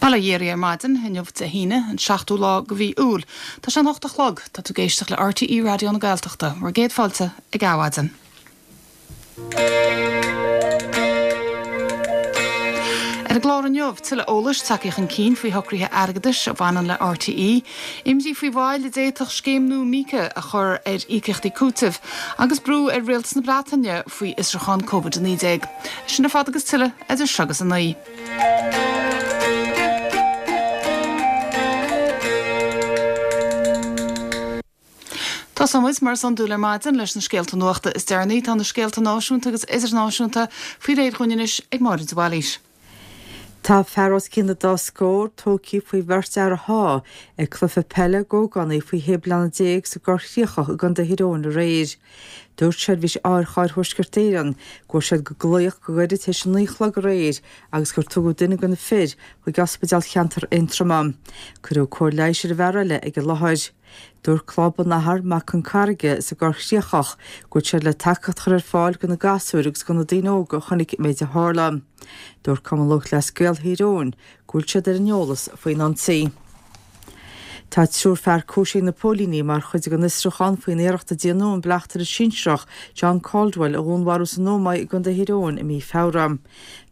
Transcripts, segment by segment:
Bail ó Dhia oraibh ar maidin, inniu Dé hAoine, an seachtú lá de mhí Iúil. Tá sé an hocht a chlog. Tá tú ag éisteacht le RTÉ Raidió na Gaeltachta. Bhur gcéad fáilte ag Adhmhaidin. Ar an gclár inniu, tuilleadh eolais tagtha chun cinn faoi shocruithe airgeadais a bhaineann le RTÉ, imní faoi mhoill a d'fhéadfadh scéim nua Mica a chur ar íocaíochtaí cúitimh, agus brú ar Rialtas na Breataine faoi fhiosrúchán Covid-19. Sin ar fad agus tuilleadh idir seo agus a 9. Tosóidh muid, mar is iondúil ar maidin, leis na scéalta nuachta is deireanaí. Tá na scéalta náisiúnta agus idirnáisiúnta faoi réir dhúinn anois ag Máire de Bhailís. Tá fear os cionn an dá scór tógtha faoi bheirt fhear a shá ag cluiche peile d'ógánaigh faoi shé bliana déag sa gCorr Chríochach i gContae Thír Eoghain aréir. Dúirt Seirbhís Otharchairr Thuaisceart Éireann go bhfuair siad glaoch go gairid tar éis a 9 a chlog aréir agus gur tugadh duine de na fir chuig Ospidéal Cheantar Aontroma. Cuireadh cóir leighis ar an bhfear eile ag an láthair. Dúirt Club an Athar Mac Con Carraige sa gCorr Chríochach go bhfuil siad le tacaíocht a chur ar fáil do na gasúir agus do na daoine óga a chonaic an méid a tharla. Dúirt Cumann Lúthchleas Gael Thír Eoghain go bhfuil siad ar an eolas faoin ionsaí. Tá triúr fear cúisithe ag na póilíní mar chuid den fhiosrúchán faoin iarracht a déanadh an bleachtaire sinsearach John Caldwell a dhúnmharú san Ómaigh i gContae Thír Eoghain i mí Feabhra.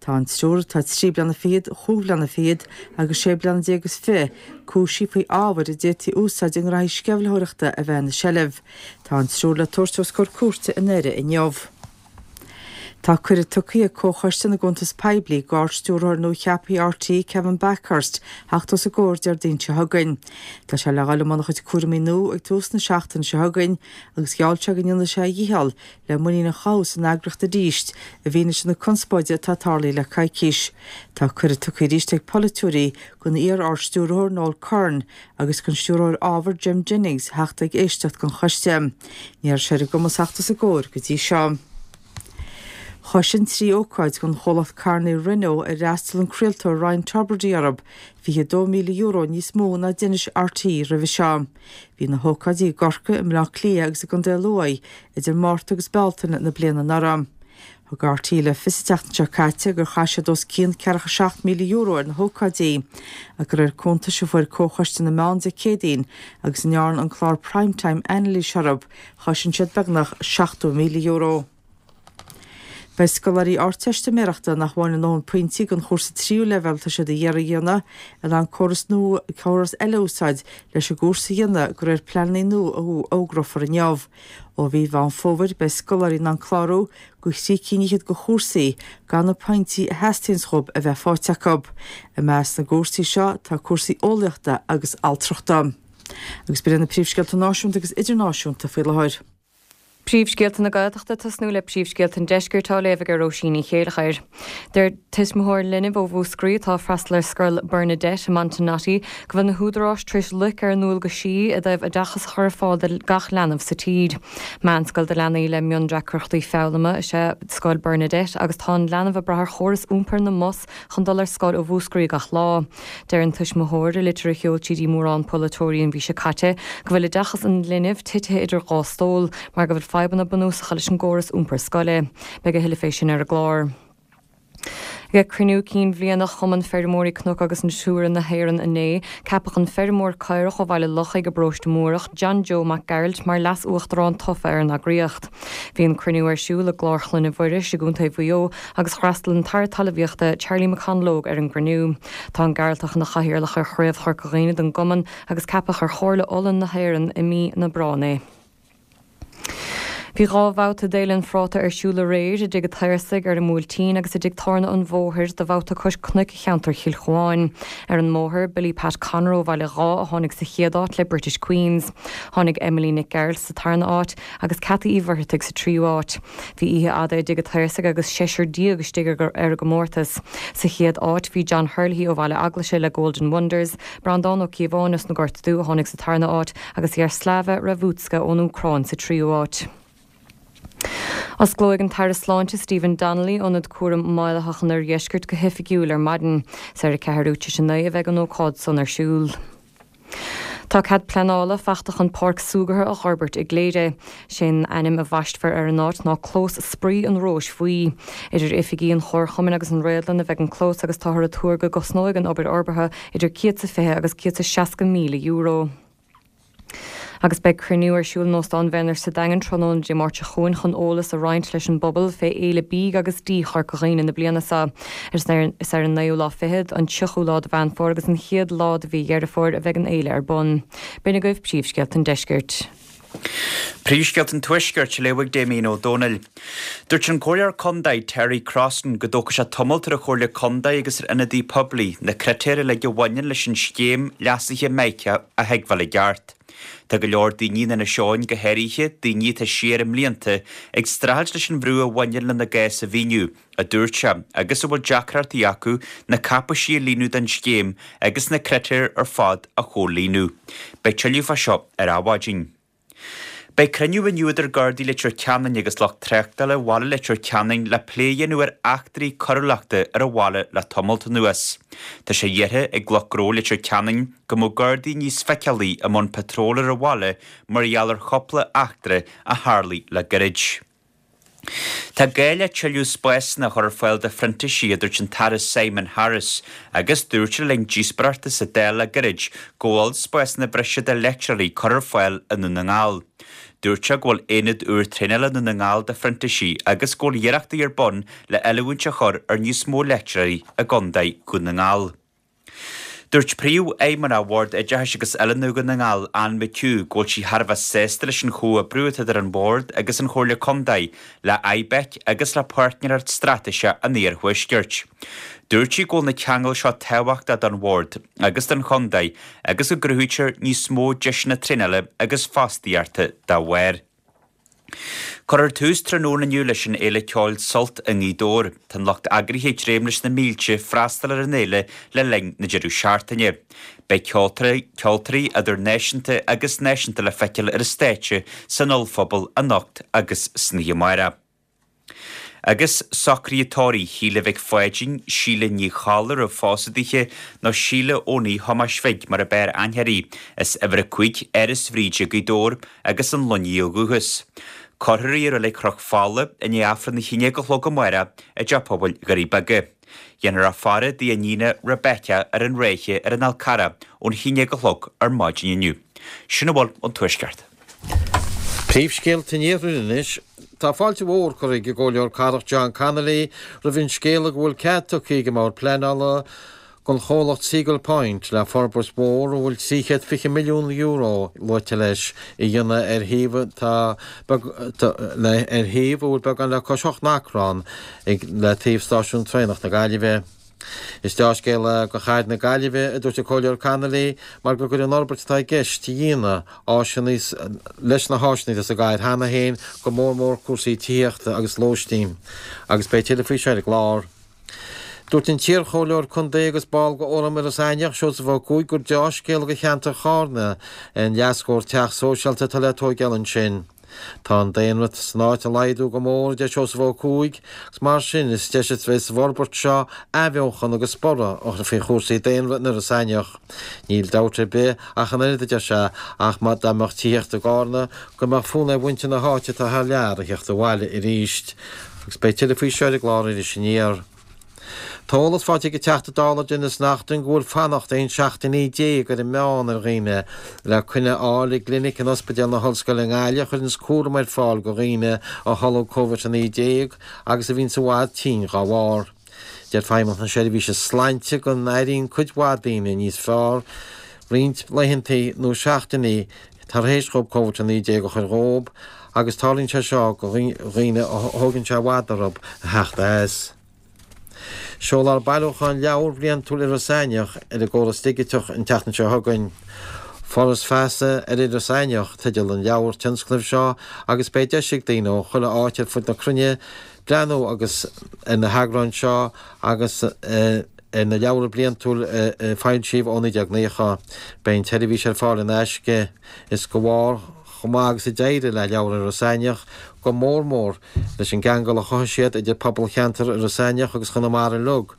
Tá an triúr, atá trí bliana fichead, chúig bhliana fichead agus sé bliana déag is fiche, cúisithe faoi ábhair a d'fhéadfaí a úsáid i ngraithí sceimhlitheoireachta a bheith ina seilbh. Tá an triúr le tabhairt os comhair cúirte i nDoire inniu. Tá cuireadh tugtha ag Comhchoiste na gCuntas Poiblí d'Ard-Stiúrthóir nua-cheaptha RTÉ, Kevin Bakhurst, theacht os a gcomhair Déardaoin seo chugainn. Tá sé le dhul i mbun a chuid cúraimí nua ag tús na seachtaine seo chugainn agus gheall sé go ndéanfaidh sé a dhícheall le muinín a chothú san eagraíocht arís i bhfianaise na conspóide atá tarlaithe le coicís. Tá cuireadh tugtha arís ag polaiteoirí don iar-Ard-Stiúrthóir Noel Curran agus don Stiúrthóir Ábhair Jim Jennings theacht ag éisteacht don choiste. Ní raibh sé ar a gcumas theacht os a gcomhair go dtí seo. Chosain trí ócáid don chomhlacht carranna Renault ar fhreastail an craoltóir Ryan Tubridy orthu, €22,000 níos mó ná d'inis RTÉ roimhe seo. Bhí na hócáidí i gCorcaigh, i mBleá Cliath agus i gContae Lú idir Márta agus Bealtaine na bliana anuraidh. Thug RTÉ le fios an tseachtain seo caite gur chaith siad os cionn €47,000 ar na hócáidí. Ach de réir cuntais a fuair Comhchoiste na Meán Dé Céadaoin agus a ndearna an clár Prime Time anailís orthu, chosain siad beagnach €70,000. Beidh scoláirí Ardteistiméireachta nach bhfaigheann a ndóthain pointí don chúrsa tríú leibhéal atá siad ag iarraidh a dhéanamh in ann córas nua, córas eile a úsáid leis an gcúrsa a dhéanamh de réir pleananna nua a fhógrófar inniu. Ó mhí Mheán Fómhair beidh scoláirí in ann clárú do thrí cinn fhichead de chúrsaí gan na pointí a theastaíonns dhóibh a bheith faighte acu. I measc na gcúrsaí seo tá cúrsaí eolaíochta agus altrachta. Agus b'in iad na príomhscéalta náisiúnta agus idirnáisiúnta faoi láthair. Príomhscéalta na Gaeltachta ag tosnú le príomhscéalta an Deiscirt á léamh ag Róisín Ní Chéilleachair. Deir tuismitheoir linbh ó Mhúscraí atá ag freastal ar scoil Bernadette i Montenotte go bhfuil na húdaráis tar éis loic ar a ndualgaisí i dtaobh oideachas a chur ar fáil do gach leanbh sa tír. Meánscoil do leanaí le miondeacrachtaí foghlama is ea Scoil Bernadette agus tá an leanbh ag brath ar chóras iompair na mbus chun dul ar scoil ó Mhúscraí gach lá. Deir an tuismitheoir, i litir a sheol sí dtí mórán polaiteoirí an mhí seo caite, go bhfuil oideachas an linbh titithe idir dhá stól mar go bhfuil fadhbanna bunúsacha leis an gcóras iompair scoile. Beidh a thuilleadh fé sin ar an gclár. Ag cruinniú cinn bhliana Chumann Feirmeoirí Cnoc agus Natura na hÉireann inné, ceapadh an feirmeoir caorach ó Bhaile Lochaigh i bparóiste Múrach, John Joe Mac Gearailt mar Leas-Uachtarán tofa ar an eagraíocht. Bhí an cruinniú ar siúl i gClár Chloinne Mhuiris i gContae Mhaigh Eo agus d'fhreastail an tAire Talmhaíochta, Charlie McConalogue ar an gcruinniú. Tá an Gearaltach ina chathaoirleach ar Chraobh Chorca Dhuibhne den gcumann agus ceapadh ar Chomhairle Uladh na hÉireann i mí na Aibreán é. Bhí dhá bhabhta d'Fhéile an Phráta ar siúl aréir, i dTigh an tSaorsaigh ar an mBuailtín agus i dTigh Tábhairne an Bhóthair do bhabhta cois cnoic cheantar Chill Chuáin. Ar an mbóthar, Billy Pat Connor ó Bhaile Dháith a tháinig sa chéad áit le British Queens. Tháinig Emily Nic Gearailt sa tarna áit agus Cathy Uí Mhuircheartaigh sa tríú áit. Bhí oíche fhada i dTigh an tSaorsaigh agus seisear déag istigh ar an gcomórtas. Sa chéad áit bhí John Herlihy ó Bhaile Eaglaise le Golden Wonders, Breandán Ó Cíobháin as na Gort Dubh a tháinig sa tarna áit agus Yaroslava Ravutska ón Úcráin sa tríú háit. Osclóidh an tAire Sláinte Stephen Donnelly Ionad Cúraim Maolaitheach an Oirdheiscirt go hoifigiúil ar maidin. Is ar a ceathrú tar éis a naoi a bheidh an ócáid san ar siúl. Tá cead pleanála fachta chun páirc súgartha a dh'fhorbairt i gCléire. Sé'n ainm a bhaistfear ar an áit ná Clós Spraoi an Róis Bhuí. Idir oifigí an Chomharchumainn agus an Réadlann a bheidh an clós agus táthar ag tuar go gcosnóidh an obair fhorbartha idir €120 agus €160,000. Agus beidh cruinniú ar siúl in Óstán Bhenner sa Daingean tráthnóna Dé Máirt seo chugainn chun eolas a roinnt leis an bpobal fé Fhéile Bídh agus Dí Chorca Dhuibhne na bliana seo. Is ar an naoú lá fichead, an tríochú lá de Mheán Fómhair agus an chéad lá de mhí Dheireadh Fómhair a bheidh an fhéile ar bun. B'in agaibh príomhscéalta an deiscirt. Príomhscéalta an Tuaiscirt á léamh ag Damien Ó Dónaill. Dúirt an Comhairleoir Condae Terry Crossan go dtógfaidh sé tamalt ar an Chomhairle Condae agus ar ionadaí poiblí na critéir uilig a bhaineann leis an scéim leasaithe Mica a thuigbheáil i gceart. Tá go leor daoine in Inis Eoghain, go háirithe daoine atá siar i mblianta, ag streachailt leis an bhrú a bhaineann lena gcás a mhíniú, a dúirt sé, agus a bhfuil deacrachtaí acu na cáipeisí a líonadh don scéim agus na critéir ar fad a chomhlíonadh. Beidh tuilleadh fá seo ar Adhmhaidin. Beidh cruinniú inniu idir Gardaí Leitir Ceanainn agus lucht tráchtála bhaile Leitir Ceanainn le plé a dhéanamh ar eachtraí coiriúlachta ar an bhaile le tamalt anuas. Tá sé iarrtha ag lucht gnó Leitir Ceanainn go mbeadh Gardaí níos feiceálaí i mbun patról ar an bhaile mar gheall ar chúpla eachtra a tharlaigh le gairid. Tá gá le tuilleadh spásanna a chur ar fáil do phrintísigh, a dúirt an tAire Simon Harris, agus dúirt sé le linn díospóireachta sa Dáil le gairid go bhfuil spásanna breise do leictreoirí curtha ar fáil i nDún na nGall. Dúirt sé go bhfuil aonad úr traenála i Ndún na nGall do phrintísigh agus go bhfuil iarrachtaí ar bun le oiliúint a chur ar níos mó leictreoirí i gContae Dhún na nGall. Dúirt Príomhfheidhmeannach Bhord Oideachais agus Oiliúna Dhún na nGall, Anne McHugh, go bhfuil sí thar a bheith sásta leis an chomhoibriú atá idir an Bord agus an Chomhairle Contae, le IBEC agus le Páirtnéireacht Straitéiseach an Iarthuaiscirt. Dúirt sí go bhfuil na ceangail seo tábhachtach don Bhord agus don Chontae agus go gcruthaítear níos mó deiseanna traenála agus fostaíochta dá bharr. Cuirfear tús tráthnóna inniu leis an fhéile ceoil Sult i nGaoth Dobhair. Tá an lucht eagraithe ag dréim leis na mílte freastal ar an fhéile le linn na deireadh seachtaine. Beidh ceoltóirí, ceoltóirí idir náisiúnta agus náisiúnta le feiceáil ar an stáitse san ollphuball anocht agus san oíche amárach. Agus socruithe tórraimh Shíle Mhic Pháidín, Síle Ní Cholla a raibh phósadh daoithe, nó Síle Eoiní Thomáis Bhig mar a b'fhearr aithne uirthi, as uimhir 5, Áras Bhríde, Gaoth Dobhair, agus an Luinnigh ó dhúchas. Cuirfear í i Reilig Chnoc Fola i ndiaidh Aifreann a haon déag a chlog amárach i dTeach Pobail Dhoirí Beaga. Dhéanfar a faire dá iníon Rebecca ar an Ráithe ar an Fhál Carrach ón haon déag a chlog ar maidin inniu. Sin a bhfuil ón Tuaisceart. Príomhscéalta an Iarthair anois. Tá fáilte mhór curtha ag an gComhairleoir Cathrach John Connolly roimh an scéala go bhfuil cead tugtha ag an mBord Pleanála don chomhlacht Seagull Point le forbairt mhór a bhfuil €320 milliún luaite leis a dhéanamh ar shuíomh atá ar shuíomh a bhfuil beagán le cois 8 n-acra ann le taobh Stáisiún Traenach na Gaillimhe. Is deá-scéal é do chathair na Gaillimhe, a dúirt an Comhairleoir Connolly, mar go gcuirfidh an fhorbairt atá i gceist a dhéanamh áiseanna leis na háiseanna atá sa gcathair cheana féin, go mór mór cúrsaí tithíochta agus lóistín. Agus beidh tuilleadh faoi seo ar an gclár. Dúirt an t-iarchomhairleoir contae agus ball de Fhóram Iorras Aithneach, Seosamh Ó Cuaig, gur deá-scéal do cheantar Chárna é an leathscór teach sóisialta atá le tóigeáil ansin. Tá an daonra san áit ag laghdú go mór, a deir Seosamh Ó Cuaig, agus mar sin is deis a bheidh sa bhforbairt seo athbheochan agus borradh a chur faoi chúrsaí daonra in Iorras Aithneach. Níl dabht ar bith ach an oiread, a deir sé, ach má dá mbeadh tithíocht i gCárna go mbeadh fonn ar mhuintir na háite atá thar lear a theacht abhaile arís. Agus beidh tuilleadh faoi seo ar an gclár Iris Aniar. Tá eolas faighte ag an Teachta Dála Denis Naughten go bhfuil fanacht 11 seachtainí ar an meán ar dhaoine le coinne a fháil i gclinic in Ospidéal na hOllscoile i nGaillimh a chuireanns cúram ar fáil go dhaoine a tholg Covid-19 agus a bhíonns i bhfad tinn dhá bharr. Deir Feidhmeannacht na Seirbhíse Sláinte go n-airíonn cuid mhaith daoine níos fearr roinnt laethanta nó seachtainí tar éis dhóibh Covid-19 a chur dhóibh agus tarlaíonn sé seo go dhaoine a thógann sé i bhfad orthu a theacht as. Seolfar bailiúchán leabhar bhliantúil Iorras Aithneach ar an gcóras digiteach an tseachtain seo chugainn. Foras Feasa ar Iorras Aithneach teideal an leabhar tionscnaimh seo agus beidh deis ag daoine ó chuile áit ar fud na cruinne breathnú agus ar na heagráin seo agus ar na leabhra bliantúil a foilsíodh ó 1990. Beidh an tseirbhís ar fáil in aisce. Is de bharr chomh maith agus a d'éirigh le Leabhar Iorras Aithneach, go mór mór leis an gceangal a chothaigh siad idir pobal cheantar Iorras Aithneach agus Chonamara uilig,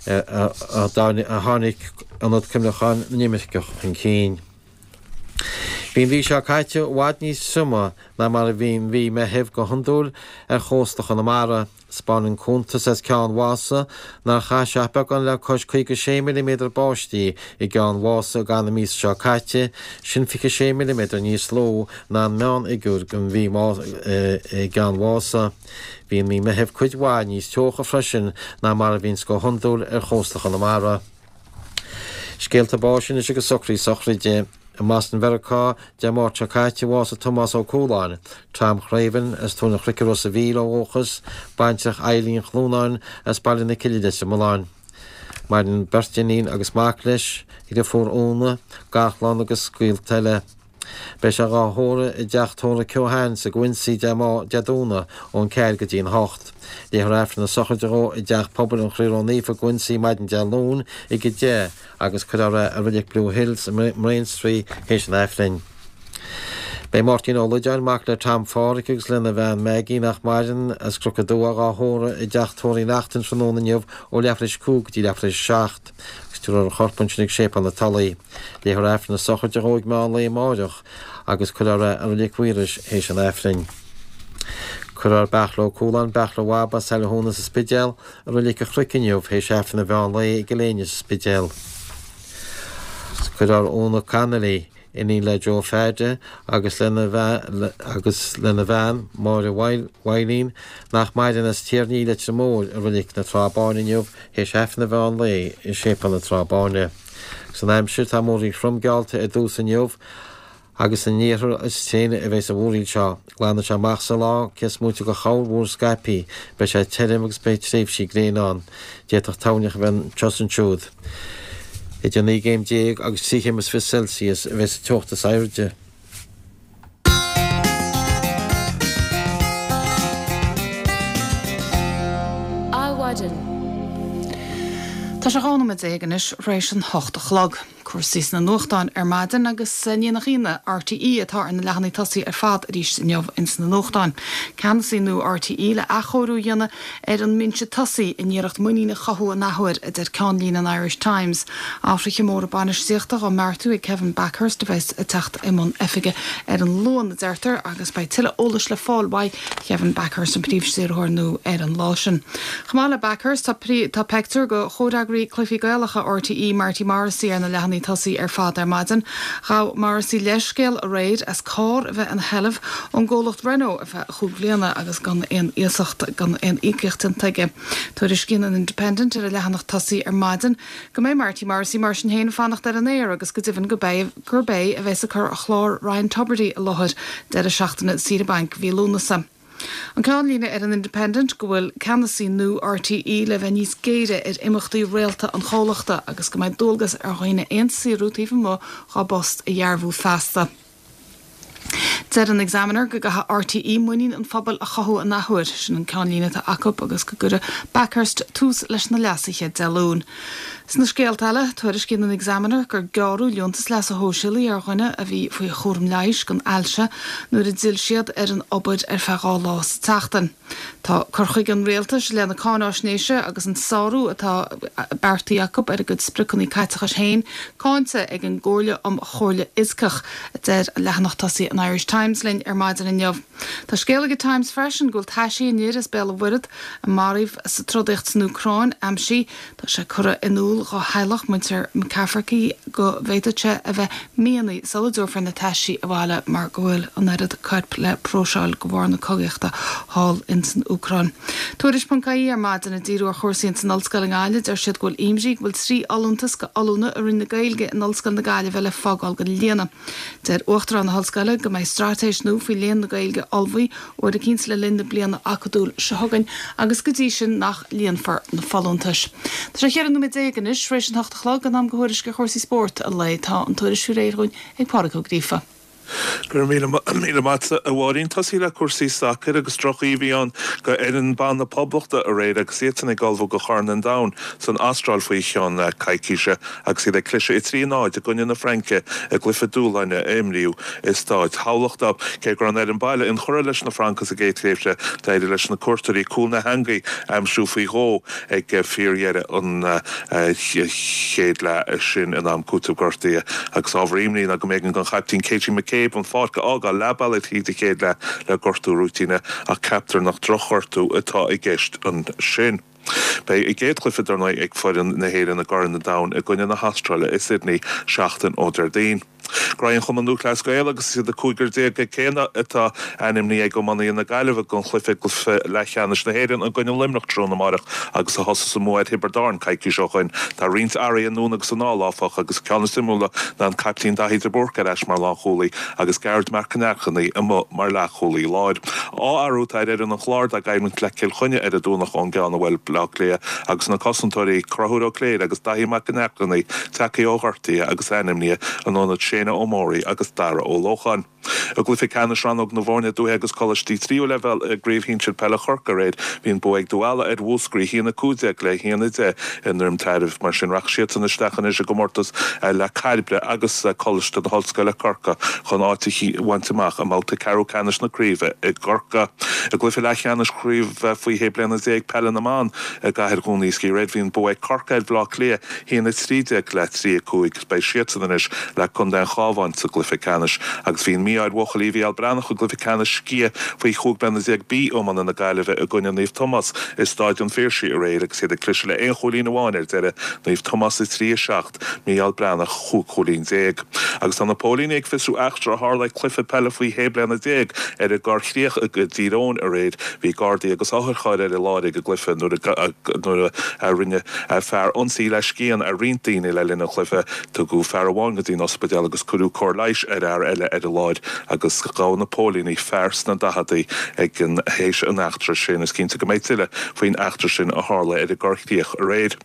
a tháinig Ionad Cuimhneacháin na nImirceach chun cinn. Bhí an mhí seo caite i bhfad níos troime ná mar a bhíonn mí Meithimh go hiondúil ar chósta Chonamara. 'Spáineann cuntas as Ceann Mhása nár chaith sé ach beagán le cois 56 milliméadar báistí i gCeann Mhása i gcaitheamh na míosa seo caite, sin 26 milliméadar níos lú ná an meánfhigiúr don mhí i gCeann Mhása. Bhí an mhí Meithimh cuid mhaith níos teocha freisin ná mar a bhíonns go hiondúil ar chósta Chonamara. Scéalta báis anois agus socruithe sochraide. I mBoston Mheiriceá, Dé Máirt seo caite, bhásaigh Tomás Ó Cualáin, Tom Chraoibhín, as Tóin an Chnoic i Ros a' Mhíl ó dhúchas, baintreach Eileen Chlúnáin as Baile na Cille Leitir Mealláin. Maireann beirt iníon agus mac leis, a dheirfiúr Úna, garchlann agus gaolta eile. Beidh sé dhá thórramh i dteach tórraimh Keohane's i gCuincy Dé Domhnaigh ón 4 go dtí an 8. Léifear Aifreann na sochraide dhó i dTeach Pobail an Chroí Ró-Naofa i gCuincy maidin Dé Luain ag 10 agus cuirfear é i Reilig Blue Hills i mBraintree théis an Aifrinn. Beidh Máirtín Ó Loideáin, mac le Tom Pháraic agus lena bhean Maggie, nach maireann, as Cnoc an Dua, dhá thórramh i dTeach Tórraimh Uí Neachtain tráthnóna inniu ó leathuair théis 5 go dtí leathuair théis 7 agus tabharfar a chorp ansin ag Séipéal na Tulaí. Léifear Aifreann na sochraide dhó ag meán lae amáireach agus cuirfear é i Reilig Mhaorais théis an Aifrinn. Cuirfear Beartla Ó Cualáin, Beartla Bhab as Saile Thúna sa Spidéal, i Reilig an Chnoic inniu théis Aifreann an mheán lae i gCill Éinne sa Spidéal. Cuirfear Úna Connolly, iníon le Joe Pheaide agus lena agus lena bhean, Máire Mhaidhlín, nach maireann, as Tír an Fhia, Leitir Móir, i Reilig na Trá Báine inniu théis Aifreann an mheán lae i Séipéal na Trá Báine. Agus an aimsir, tá múraíl throm geallta ar dtús inniu agus san iarthar is tréine a bheas an mhúraíl seo. Glanfaidh sé amach sa lá, cé is móite de chorrmhúr scaipthe. Beidh sé tirim agus beidh tréimhsí gréine ann. D'fhéadfadh toirneach a bheith anseo is ansiúd. Idir 19 gcéim agus 23 chéim Celsius a bheas an teocht is airde. Adhmhaidin. Tá sé 12 nóiméad anois tar éis an 8 a chlog. Cúrsaí sna nuachtáin ar maidin agus ní nach ionadh, RTÉ atá ar na leathanaigh tosaigh ar fad arís inniu ins na nuachtáin. Ceannasaí nua RTÉ le athchóiriú a dhéanamh ar an mbinse tosaigh in iarracht muinín a chothú an athuair, a deir ceannlíne an Irish Times. Athruithe móra bainistíochta á mbeartú ag Kevin Bakhurst a bheas ag teacht i mbun oifige ar an Luan, a deirtear, agus beidh tuilleadh eolais le fáil uaidh Kevin Bakhurst, an príomhstiúrthóir nua, ar an lá sin. Chomh maith le Bakhurst, tá tá peictiúr de chomhfhreagraí Cluichí Gaelacha RTÉ, Marty Morrissey, ar na leathanaigh tosaigh ar fad ar maidin. Ghabh Morrissey leithscéal aréir as carr a bheith ina sheilbh ón gcomhlacht Renault ar feadh chúig bhliana agus gan aon iasacht, gan aon íocaíocht déanta aige. Tuairiscíonn an Independent ar a leathanach tosaigh ar maidin go mbeidh Marty Morrissey mar sin féin ag fanacht ar an aer agus go deimhin gurb é a bheas ag cur chlár Ryan Tubridy i láthair deireadh seachtaine saoire bainc mhí Lúnasa. An ceannlíne ar an Independent go bhfuil ceannasaí nua RTÉ le bheith níos géire ar imeachtaí réalta an chomhlachta agus go mbeidh dualgas ar dhaoine aon saothrú taobh amuigh dhá bpost a dhearbhú feasta. Deir an Examiner go gcaithfidh RTÉ muinín an phobail a chothú an athuair, sin an ceannlíne atá acu, agus go gcuirfidh Bakhurst tús leis na leasuithe Dé Luain. Sna scéalta eile, tuairiscíonn an Examiner gur gearradh liúntas leasa shóisialaigh ar dhuine a bhí faoi chúram leighis don ailse nuair a d'fhill siad ar an obair ar feadh 2 lá sa tseachtain. Tá cur chuige an rialtais i leith na cáináisnéise agus an sárú atá beartaithe acu ar a gcuid spriocanna caiteachais féin cáinte ag an gComhairle um Chomhairle Fhioscach, a deir leathanach tosaigh an Irish Times linn ar maidin inniu. Tá scéal ag an Times freisin go bhfuil taisí an fhir as Béal an Mhuirthead a maraíodh sa trodaíocht san Úcráin aimsithe. Tá sé curtha in iúl dá theaghlach, muintir McCafferty, go bhféadfadh sé a bheith míonna sula dtabharfar na taisí abhaile mar go bhfuil an oiread coirp le próiseáil de bharr na cogaíochta thall ins an Úcráin. Tuairisc.ie ar maidin ag díriú ar chúrsaí ins an Ollscoil i nGaillimh, deir siad go bhfuil imní go bhfuil 3 fholúntas go ollúna i Roinn na Gaeilge in Ollscoil na Gaillimhe le fágáil gan líonadh. Deir Uachtarán na hOllscoile go mbeidh straitéis nua faoi Léann na Gaeilge ullmhaithe uair eicínt le linn na bliana acadúil seo chugainn agus go dtí sin nach líonfar na folúntais. Tá sé 14 nóiméad anois tar éis an hocht a chlog, in am do thuairisc ar chúrsaí spóirt an lae. Tá an tuairisc faoi réir dhúinn ag Pádraig Ó Gríofa. Go raibh míle maith agat, a Mháirín. Tosaí le cúrsaí sacair agus droch-oíche a bhí ann do fhoireann ban na Poblachta aréir agus iadsan ag ullmhú do Chorn an Domhain san Astráil faoi cheann coicíse agus iad ag cliseadh 3-0 i gcoinne na Fraince i gcluiche dúshláin a imríodh i Staid Thamhlachta. Cé go raibh an fhoireann baile inchurtha leis na Francaigh sa gcéad tréimhse, d'éirigh leis na cuairteoirí cúl na heangaí a aimsiú faoi dhó ag fíordheireadh an chéad leath sin in am cúitimh gortaithe agus ábhar imní ná go mb'éigean don chaiptín Katie McCabe an pháirc a fhágáil leath bealaigh tríd an chéad leath le gortú rúitíne ach ceaptar nach drochghortú atá i gceist ansin. Beidh a gcéad chluiche dar ndóigh ag foireann na hÉireann i gCorn an Domhain i gcoinne na hAstráile i Sydney seachtain ó Déardaoin. Graí an Chumann Lúthchleas Gael agus is iad an cúigear céanna atá ainmnithe ag iománaithe na Gaillimhe don chluiche i gcluiche leathcheannais na hÉireann i gcoinne Luimneach tráthnóna amárach agus a thosós an bua ar Thiobraid Árann coicís ó shoin. Tá roinnt athruithe anonn agus anall, áfach, agus ceann is suimiúla ná an caiptín Daithí de Búrca ar ais mar lánchúlaí agus Gearóid Mac Con Airchinnigh amuigh mar leathchúlaí láir. Dhá athrú atá ar fhoireann an Chláir dá gcoimhlint le Cill Chainnigh ar an Domhnach ón gceann a bhuail Baile Átha Cliath agus na cosantóirí Conchúr Ó Cléirigh agus Daithí Mac Con Airchinnigh tagtha ó ghortuithe agus ainmnithe in ionad Shane Ó Móraí agus Dara Ó Lócháin. I gcluiche ceannais rannóg na bhfoirne dúiche agus coláistí tríú leibhéal i gCraobh Shinsir Peile Chorcaí aréir, bhí an bua ag Dún Ealla ar Mhúscraí, 1-15 le 1-10 i nDroim Tairbh. Mar sin, rachaidh siadsan isteach anois i gcomórtas le Cairbre agus Coláiste na hOllscoile Corcaigh chun áit a bhaint amach i mbabhta ceathrú ceannais na craoibhe i gCorcaigh. I gcluiche leathcheannais Chraobh Faoi Shé Bliana Déag Peile na mBan i gCathair Dhún Iascaigh aréir, bhí an bua ag Corcaigh ar Bhaile Átha Cliath, 1-13 le 3-5. Beidh siadsan anois le Contae an Chabháin sa gcluiche ceannais agus bhí an mí-ádh ar bhuachaillí Mhícheál Breathnach i gcluiche ceannais sciath faoi 15 bliana B iomána na Gaillimhe i gcoinne Naomh Tomás i Stáid an Phiarsaigh aréir agus iad ag cliseadh le aon chúilín amháin ar deireadh, Naomh Tomás 3-7, Mícheál Breathnach 15 chúilín. Agus tá na póilíní ag fiosrú eachtra a tharla ag cluiche peile faoi 16 bliana ar an gCorr Chríoch i dTír Eoghain aréir. Bhí Gardaí agus otharchairr ar an láthair ag an gcluiche nuair a rinne fear ionsaí le scian ar roinnt daoine le linn an chluiche. Tugadh fear amháin go dtí an ospidéal agus cuireadh cóir leighis ar fhear eile ar an láthair agus gabhadh na póilíní fear sna daicheadaí ag an théis an eachtra sin. Is cinnte go mbeidh tuilleadh faoin eachtra sin a tharla ar an gCorr Chríoch aréir.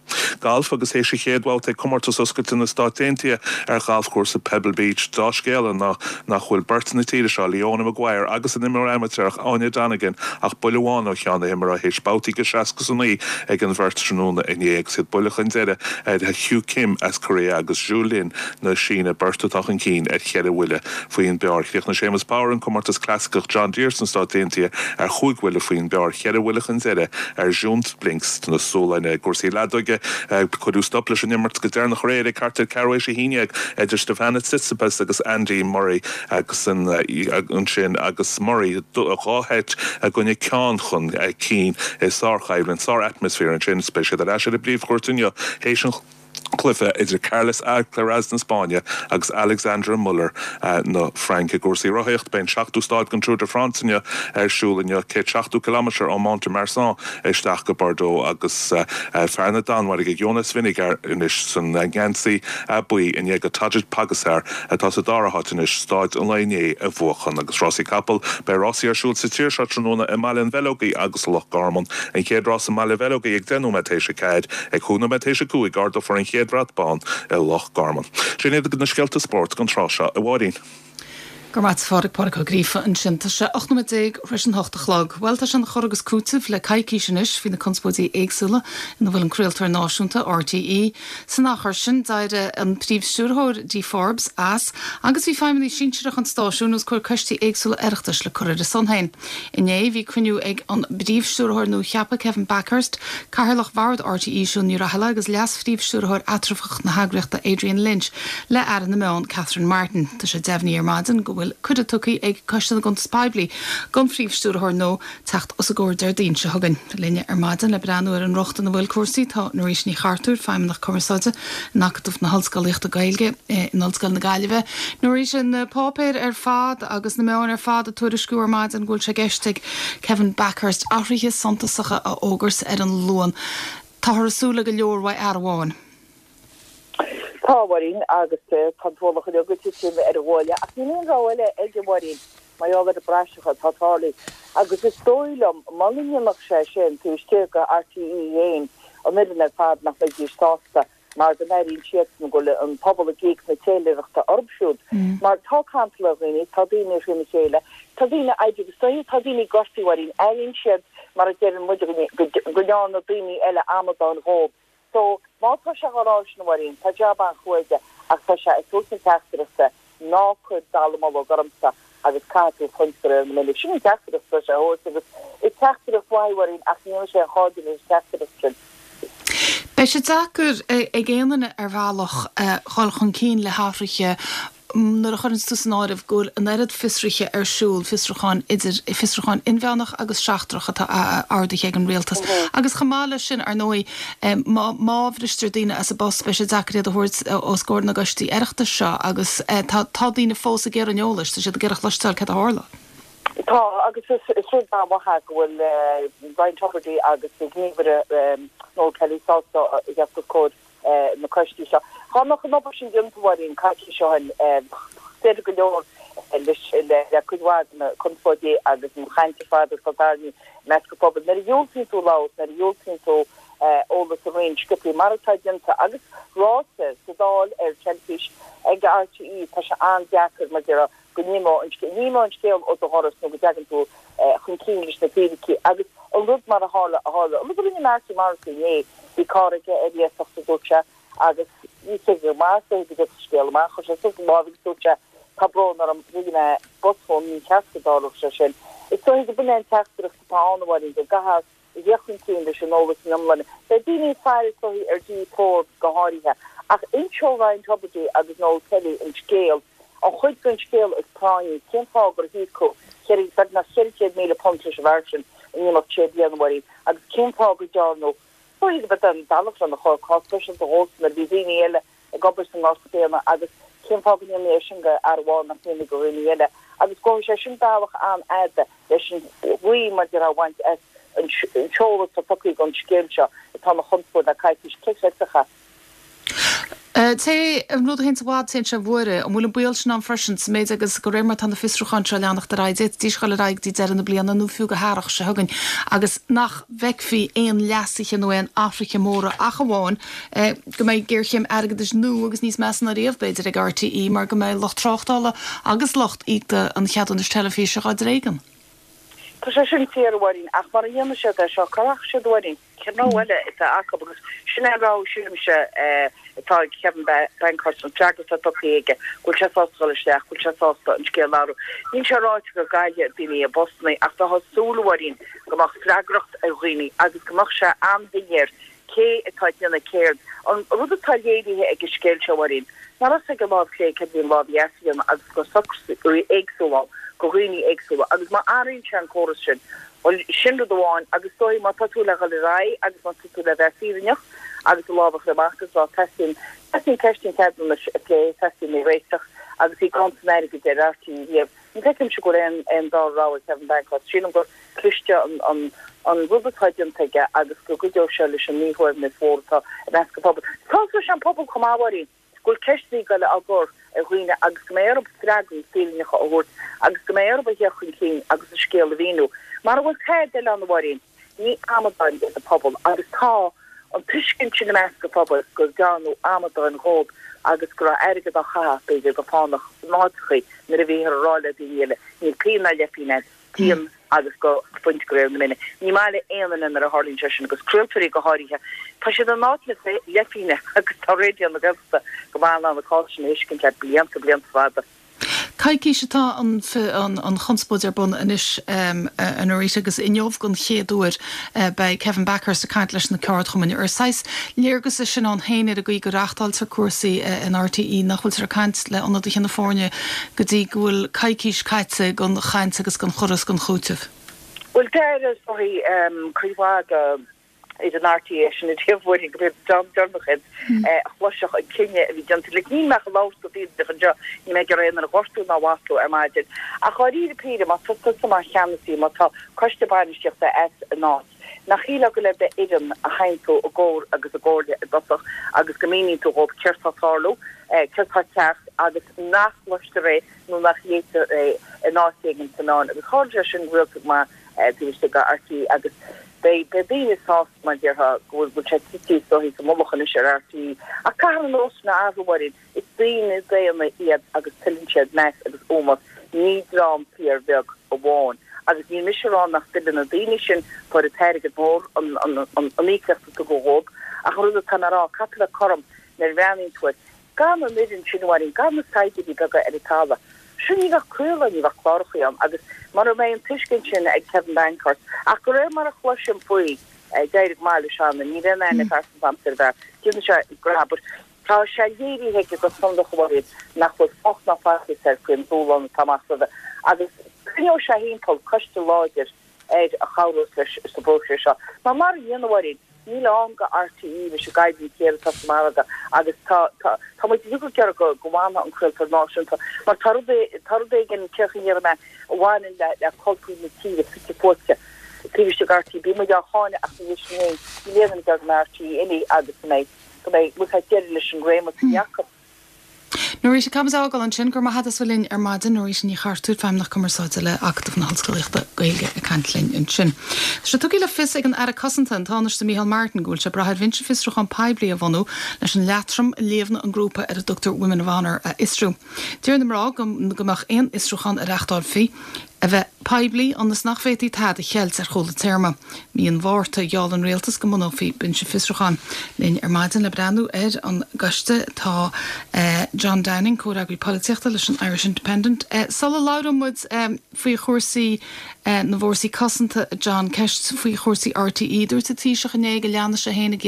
Galf agus théis an chéad bhabhta ag Comórtas Oscailte na Stát Aontaithe ar ghalfchúrsa Pebble Beach, dea-scéala ná nach bhfuil beirt na tíre seo, Leona Maguire agus an imreoir amaitéarach Áine Donegan ach buille amháin ó cheann na himeartha théis babhtaí de 69 ag an bheirt tráthnóna inné agus iad buille chun deiridh ar Hugh Kim as Korea agus Zhu Lin na Síne, beirt atá chun cinn ar cheithre bhuille faoin bpar. Chríochnaigh Séamus Power an comórtas clasaiceach John Deere sna Stáit Aontaithe ar chúig bhuille faoin bpar, cheithre bhuille chun deiridh ar June Blinks na Sualainne. I gcúrsaí leadóige, cuireadh stop leis an imirt go deireanach aréir ag thart ar ceathrú théis a haon dhéag idir Stefano Tsitsipas agus Andy Murray agus ansin agus Murray dhá sheit i gcoinne ceann chun cinn i sárchoimhlint, sár-atmaisféar ansin. Beidh siad ar ais ar an bpríomhchúirt inniu théis an cluiche idir Carlos Alcaraz na Spáinne agus Alexandre Muller na Fraince. I gcúrsaí rothaíocht, beidh an seachtú stáid den Tour de France inniu ar siúl inniu, 170 ciliméadar ó Mont de Marsan isteach go Bordeaux agus fear na Danmhairge Jonas Vingegaard anois san ngeansaí buí i ndiaidh do Tadej Pogacar atá sa dara háit anois stáid an lae inné a bhuachan. Agus rásaí capall, beidh rásaí ar siúl sa tír seo tráthnóna i mBaile an Bheileogaigh agus i Loch Garman. An chéad rás i mBaile Bheileogaigh ag 10 nóiméad théis 4. Ag 5 nóiméad théis 5 ardófar an chéad bhrat bán i Loch Garman. Sin iad na scéalta spóirt don tráth seo, a Mháirín. Go raibh maith a't a Phádraig, Pádraig Ó Gríofa ansin. Tá sé 18 nóiméad tar éis an hocht a chlog. Bhuel, tá sé ina chur agus cúiteamh le coicís anois faoi na conspóidí éagsúla ina bhfuil an craoltóir náisiúnta, RTÉ. San achar sin, d'éirigh an Príomh-Stiúrthóir, Dee Forbes, as agus bhí feidhmeannaigh sinsearacha an stáisiúin os comhair coistí éagsúla Oireachtais le cur ar a son féin. Inné, bhí cruinniú ag an bPríomh-Stiúrthóir nua-cheaptha, Kevin Bakhurst, Cathaoirleach Bhord RTÉ, Siún Ní Raghallaigh agus Leas-Phríomh-Stiúrthóir eatramhach na heagraíochta, Adrian Lynch, le Aire na Meán, Catherine Martin. Tá sé deimhnithe ar maidin go bhfuil cuireadh tugtha ag Coiste na gCuntas Poiblí don Phríomh-Stiúrthóir nua teacht os a gcomhair Déardaoin seo chugainn. Linne ar maidin le breathnú ar an riocht ina bhfuil cúrsaí tá Norita Ní Chartúir, Feidhmeannach Cumarsáide in Acadamh na hOllscolaíochta Gaeilge in Ollscoil na Gaillimhe. Norita, na páipéir ar fad agus na meáin ar fad ag tuairisciú ar maidin go bhfuil sé i gceist ag Kevin Bakhurst athruithe suntasacha a fhógairt ar an Luan. Táthar ag súil le go leor uaidh fhear amháin. Tá, a Mháirín, agus tá an t-ualach uilig ag titim ar a ghuaille, ach níl aon rogha eile aige, a Mháirín, mar gheall ar na praiseacha atá tarlaithe. Agus is dóigh liom, muna ndéanfadh sé sin, taobh istigh de RTÉ féin, an fhoireann ar fad, nach mbeidís sásta. mar go n-airíonn siadsan go bhfuil an pobal ag íoc na téiléireachta orthu siúd. Mar tá cantal ar dhaoine, tá daoine thrína chéile, tá daoine oibre agus dóiche tá daoine gortaithe, a Mháirín, airíonn siad, mar a deireann muid, go ndearna daoine eile amadáin dhóibh. So, má tá sé dhá rá sin, a Mháirín, tá jab an-chrua aige ach tá sé ag tabhairt na teachtaireachta ná cuir dallamullóg ormsa agus caithfidh tú fuint de réir na mine. Sin an teachtaireacht atá sé a thabhairt agus is teachtaireacht mhaith í, a Mháirín, ach ní dhéanfaidh sé aon chairde leis an teachtaireacht sin. Beidh sé deacair ag aon duine ar bhealach dhul chun cinn le hathruithe nuair a chuireanns tú san áireamh go bhfuil an oiread fiosruithe ar siúl, fiosrúcháin idir fiosrúcháin inmheánach agus seachtrach atá ordaithe ag an rialtas. Agus chomh maith leis sin, ar ndóigh, má má bhristear daoine as a bpost beidh sé deacair iad a thabhairt os comhair na gcoistí Oireachtais seo agus tá tá daoine fós ag iarraidh an eolais, tá siad ag iarraidh cloisteáil céard a tharla. Tá, agus is rud an-mhaith é go bhfuil Ryan Tubridy agus a ghníomhaire Noel Kelly sásta a theacht os comhair na coistí seo. Dá mbeadh an obair sin déanta, a Mháirín, coicís ó shin, bheadh deireadh go leor le cuid mhaith de na conspóidí agus an chaint ar fad atá tarraingthe i measc an phobail. Nuair a dhiúltaíonn tú labhairt, nuair a dhiúltaíonn tú eolas a roinnt, sciobthaí, mar atá déanta agus ráite sa Dáil, ar teilifís, ag RTÉ, tá sé an-deacair, mar a déarfá, go n-imeodh an scéal, ní imeoidh an scéal ó do dhoras nó go dtagann tú chun cinn leis na fíricí agus an rud mar a tharla a tharla. An rud a rinne Marty Morrissey inné, bhí carr aige ar iasacht a dúirt sé agus bhí sé go maith go dtiocfadh an scéal amach, chuir sé suas a lámh agus dúirt sé tá brón orm, rinne mé botún, ní cheart go dtarlódh sé sin. Is dóigh go b'in é an teachtaireacht atá ann, a Mháirín, go gcaithfear a theacht chun cinn leis an eolas ina iomláine. Beidh daoine ag faire is dóichí ar Dee Forbes go háirithe, ach inseoidh Ryan Tubridy agus Noel Kelly an scéal, an chuid den scéal is práinní, cén fáth gur híocadh beagnach £400,000 leis an bhfear sin in imeacht sé bliana, a Mháirín, agus cén fáth go dtearnadh, is dóichí go b'é an bealach lena chur, cás speisialta dhósan nuair a bhí daoine eile ag obair sa ngort céanna agus cén fáth go ndéanfaí é sin go fhear amháin nach ndéanfaí go dhaoine eile agus gabhfaidh sé sin bealach an-fhada leis an ghaoth mar a déarfá a bhaint as an t-eolas atá tugtha don scéal seo atá ina chonspóid le coicís, cé chreidfeadh é? Té an rud a théanns i bhfad téann sé i bhfuaire. An bhfuil an baol sin ann freisin, sa méid agus de réir mar atá na fiosrúcháin seo ag leanacht ar aghaidh, d'fhéadfaidís dhul ar aghaidh go dtí deireadh na bliana nó fiú go hearrach seo chugainn agus nach bhfeicfí aon leasuithe nó aon athruithe móra ach amháin go mbeidh géarchéim airgeadais nua agus níos measa ná riamh, b'fhéidir, ag RTÉ mar go mbeidh lucht tráchtála agus lucht íoctha an cheadúnais teilifíse dhá dtréigean. Tá sé sin fíor, a Mháirín, ach mara ndéanfaidh siad é seo, cá rachaidh siad, a Mháirín? Cén rogha eile atá acu? Agus sin é an rogha, sílimse, atá ag Kevin Bakhurst, an freagra atá tugtha aige, go bhfuil sé sásta dul isteach, go bhfuil sé sásta an scéal a athrú. Níl sé ráite go gcaillfidh daoine a bpostanna ach tá súil, a Mháirín, go mbeadh freagracht ar dhaoine agus go mbeadh sé an-shoiléir cé atá ag déanamh céard. An rud atá léirithe ag an scéal seo, a Mháirín, nach raibh a fhios ag an lámh chlé céard a bhí an lámh dheas a dhéanamh agus go raibh socruithe éagsúla ann go dhaoine éagsúla agus má athraíonn sé an córas sin, bhuel, sin rud amháin agus is dóigh má tá tú le dhul ar aghaidh agus má tá tú le bheith fírinneach agus do lámh a chur amach agus rá teastaíonn, teastaíonn ceist an cheadúnais a phlé, teastaíonn í a réiteach agus í gann san airgead ar RTÉ riamh. Ní fheicimse go bhfuil aon aon dara rogha ag Kevin Bakhurst. Sílim gur cliste an an an rud atá déanta aige agus go gcuideoidh sé leis an míshuaimhneas mhór atá i measc an phobail. Tá leis an pobal chomh maith, a Mháirín, go bhfuil ceisteanna ag goil á gcur ar dhaoine agus go mbeidh orthu freagraí fírinneacha a thabhairt agus go mbeidh orthu a theacht chun cinn agus an scéal a mhíniú. Mara bhfuil tada eile ann, a Mháirín, ní amadáin iad an pobal agus tá an tuiscint sin i measc an phobail go ndearnadh amadáin dhóibh agus go raibh airgead á chaitheamh, b'fhéidir, go fánach in áiteachaí nuair a bhíothar ag rá le daoine eile, níl pingin ná leithphingin agat, déan agus go fuint de réir na mine. Ní maith le aon duine nuair a tharlaíonn sé sin agus craoltóirí go háirithe. Tá siad in áit na leithphingine agus tá Raidió na Gaeltachta go maith in ann an cás sin a thuiscint le blianta, blianta fada. Coicís atá an chonspóid ar bun anois a Norita agus inniu don chéad uair beidh Kevin Bakhurst ag caint leis na ceardchumainn. Ar saghas léargas é sin ann féin ar an gcaoi go reachtáiltear cúrsaí in RTÉ nach bhfuiltear ag caint le ionadaithe na foirne go dtí go bhfuil coicís caite den chaint agus den chur is den chúiteamh? Bhuel, deir is dóigh cuid mhaith de fhoireann RTÉ sin a dhearbhaigh go mb'é an dream deireanach iad a chloisfeadh an cinneadh a bhí déanta. Like, níl mé ach ag labhairt go fírinneach anseo, níl mé ag iarraidh aon duine a ghortú ná a mhaslú ar maidin. Ach dháiríre píre, má tá tusa mar cheannasaí, má tá coiste bainistíochta as in áit, nach shílfeá go le d'fhoireann a théann tú i gcomhar agus i gcomhairle i dtosach agus go míníonn tú dhóibh céard tá ag tarlú, céard tá ceart agus nach gcloistear é nó nach léitear é in áit éigin sna meáin. Agus tharla sé sin rialta go maith. Taobh istigh de RTÉ agus beidh daoine sásta, mar a déarfá, go bhfuil sé tite is dóichí sa mullach anois ar RTÉ. Ach caithfear na nósanna a athrú, a Mháirín. Is daoine daonna iad agus tuilleann siad meas agus ómós, ní dream fíorbheag amháin. Agus níl mise a rá nach dtuilleann na daoine sin, fuair an t-airgead mór, an íocaíocht a tugadh dhóibh, ach an rud atá mé a rá, caithfidh tú a bheith cothrom nuair a bhreathnaíonn tú air. Gan an fhoireann sin, a Mháirín, gan na saighdiúirí beaga ar an talamh, sin ní bheadh craoladh, ní bheadh clárachaí ann agus mura mbeidh an tuiscint sin ag Kevin Bakhurst, ach de réir mar a chloisim faoi, d'éirigh go maith leis cheana, níl aon aithne phearsanta agamsa ar an bhfear, déanann sé grab, but tá sé léirithe aige go sonrach, a Mháirín, nach bhfuil fuacht ná faitíos air faoin dúshlán atá amach roimhe agus coinneoidh sé thimpeall coiste láidir air a chabhrós leis sa bpróiseas seo. Mar mara ndéana, a Mháirín, níl ann do RTÉ leis an gcoimhlint ghéar atá sa mhargadh agus tá, tá, tá muid uilig ag iarraidh go, go bhfanfaidh an craoltóir náisiúnta mar tá rud, tá rud éigin, cén chaoi a ndéarfaidh mé, a bhaineann le, le cultúr na tíre fite fuaite taobh istigh de RTÉ. Bíonn muid á cháineadh ach ní sin féin, níl aon duine ag iarraidh go mbeidh RTÉ imithe agus go mbeidh, go mbeidh, bhfuil fhios agat, deireadh leis an réimeas a bhí acu. Norita, caithfidh muid a fhágáil ansin. Go raibh maith agat as bheith linn ar maidin. Norita Ní Chartúir, Feidhmeannach Cumarsáide le Acadamh na hOllscolaíochta Gaeilge ag caint linn ansin. Tá sé tugtha le fios ag an Aire Cosanta, an Tánaiste Micheál Martin, go bhfuil sé ag brath ar bhinse fiosrúcháin poiblí a bhunú leis an leatrom a líomhnaigh an grúpa ar a dtugtar Women of Honour a fhiosrú. Deir na mná go mbeadh aon fhiosrúchán a reáchtálfaí a bheith poiblí ionas nach bhféadfaí tada a cheilt ar chúl an téarma. Mí an Mhárta, gheall an rialtas go mbunófaí binse fiosrúcháin. Linn ar maidin le breathnú ar an gcoiste tá John Downing, comhfhreagraí polaitíochta leis an Irish Independent. Sula labhróidh muid faoi chúrsaí na bhfórsaí cosanta, a John, ceist faoi chúrsaí RTÉ. Dúirt an Taoiseach inné go leanfaidh sé féin ag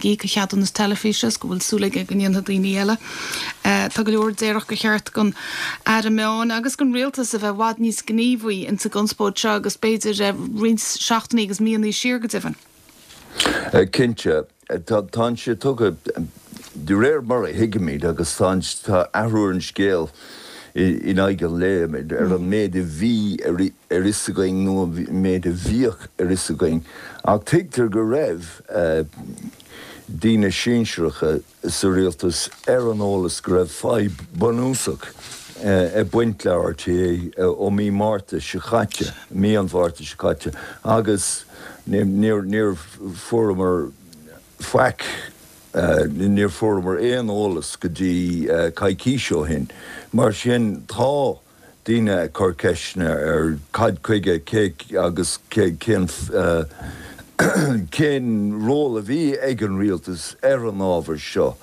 íoc a cheadúnas teilifíse is go bhfuil súil aige go ndéanfaidh daoine eile. Tá go leor a déarfadh gur cheart don Aire Meán agus don Rialtas a bheith i bhfad níos gníomhaí ins an gconspóid seo agus b'fhéidir roinnt seachtainí agus míonna siar go deimhin. Cinnte. Tá sé tugtha, de réir mar a thuigimid, agus tá athrú ar an scéal in aghaidh an lae, ar an méid a bhí ar fhios againn nó an méid a bhíodh ar fhios againn. Ach tuigtear go raibh daoine sinsearacha sa rialtas ar an eolas go raibh fadhb bunúsach ag baint le RTÉ ó mí Márta seo caite, mí an Mhárta seo caite, agus níor fuaireamar faic, níor fuaireamar aon eolas go dtí coicís ó shin. Mar sin, tá. daoine ag cur ceisteanna ar cad chuige, cé agus cén cén ról a bhí ag an rialtas ar an ábhar seo.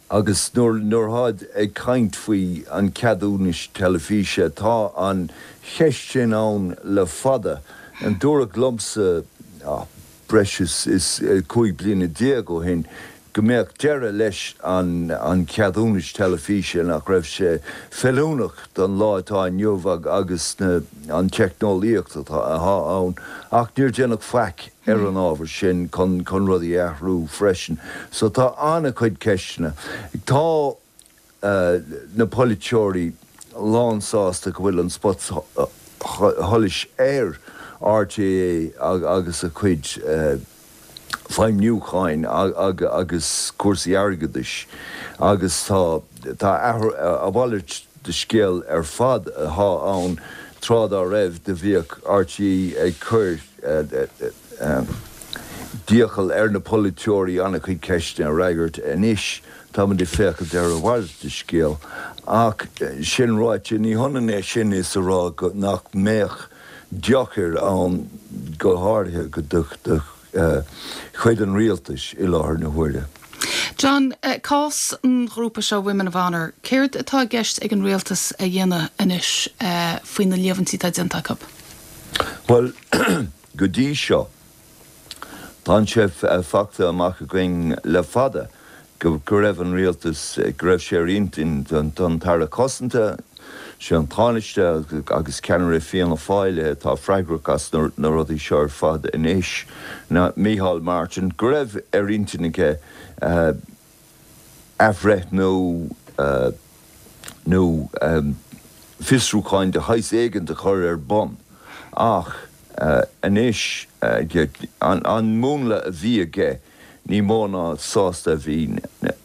Agus nuair nuair atáid ag caint faoi an ceadúnais teilifíse, tá an cheist sin ann le fada. Dúradh liomsa breis is 15 bliana ó shin go mbeadh deireadh leis an cheadúnais teilifíse, nach raibh sé feiliúnach don lá atá inniu agus an teicneolaíocht atá ann, ach níor déanadh faic ar an ábhar sin chun rudaí a athrú freisin. So tá an-chuid ceisteanna. Tá. na polaiteoirí lánsásta go bhfuil an spotsolas ar RTÉ agus a chuid feidhmiúcháin agus cúrsaí airgeadais agus tá tá a mhalairt de scéal ar fad atá ann tráth dá raibh do bhíodh RTÉ ag cur d'iachall ar na polaiteoirí an-chuid ceisteanna a fhreagairt anois Táimid ag féachaint ar a mhalairt de scéal. Ach sin ráite, ní hionann é sin is a rá go nach mbeadh deochair ann, go háirithe do chuid an rialtais i láthair na huaire. John, cás an ghrúpa seo Women of Honour, céard atá i gceist ag an rialtas a dhéanamh anois faoi na líomhaintí atá déanta acu? Bhuel, go dtí seo, Tá sé faighte amach againn le fada go raibh an rialtas, go raibh sé ar intinn don tAire Cosanta, sé an Tánaiste agus ceannaire Fianna Fáil atá freagrach as na rudaí seo ar fad anois, Micheál Martin, go raibh ar intinn aige athbhreithniú nó fiosrúcháin de shaghas éigint a chur ar bun ach anois an múnla a bhí aige ní mó ná sásta a bhí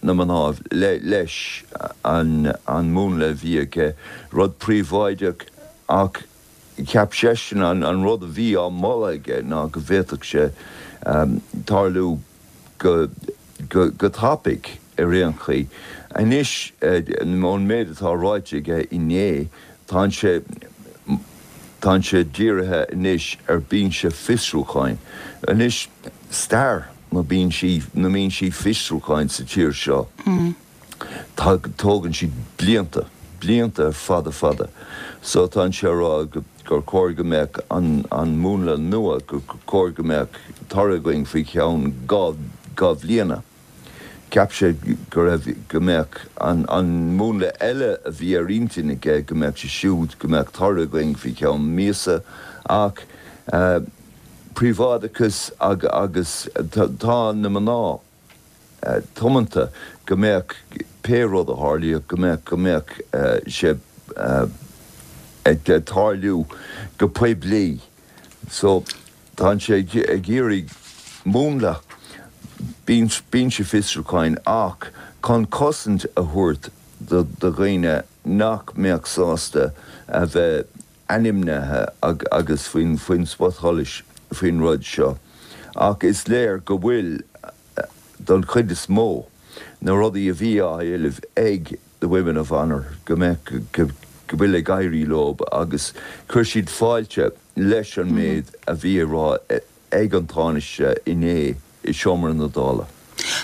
na mná leis an múnla a bhí aige, rud príobháideach ach. Cheap seisean an rud a bhí á mholadh aige ná go bhféadfadh sé tarlú go go tapaidh ar aon chaoi. Anois, ón méid atá ráite aige inné, tánn sé tánn sé dírithe anois ar binse fiosrúcháin. Anois, stair na binsí na mbinsí fiosrúcháin sa tír seo, tá tógann siad blianta, blianta fada fada. So tánn sé a rá gur chóir go mbeadh an an múnla nua, gur chóir go mbeadh toradh againn faoi cheann 2 bhliana. Cheap sé go raibh, go mbeadh an an múnla eile a bhí ar intinn aige, go mbeadh sé siúd, go mbeadh toradh againn faoi cheann míosa ach príobháideachas agus tá na mná tiomanta go mbeadh pé rud a tharlaíodh, go mbeadh, go mbeadh sé ag tarlú go poiblí. So, tánn sé ag iarraidh múnla binse fiosrúcháin ach chun cosaint a thabhairt do dhaoine nach mbeadh sásta a bheith ainmnithe agus faoin spotsholas faoin rud seo ach is léir go bhfuil, don chuid is mó, na rudaí a bhí á éileamh ag the Women of Honour go mbeadh, go bhfuil ag éirí leo agus chuir siad fáilte leis an méid a bhí á rá ag an Tánaiste inné i seomra na Dála.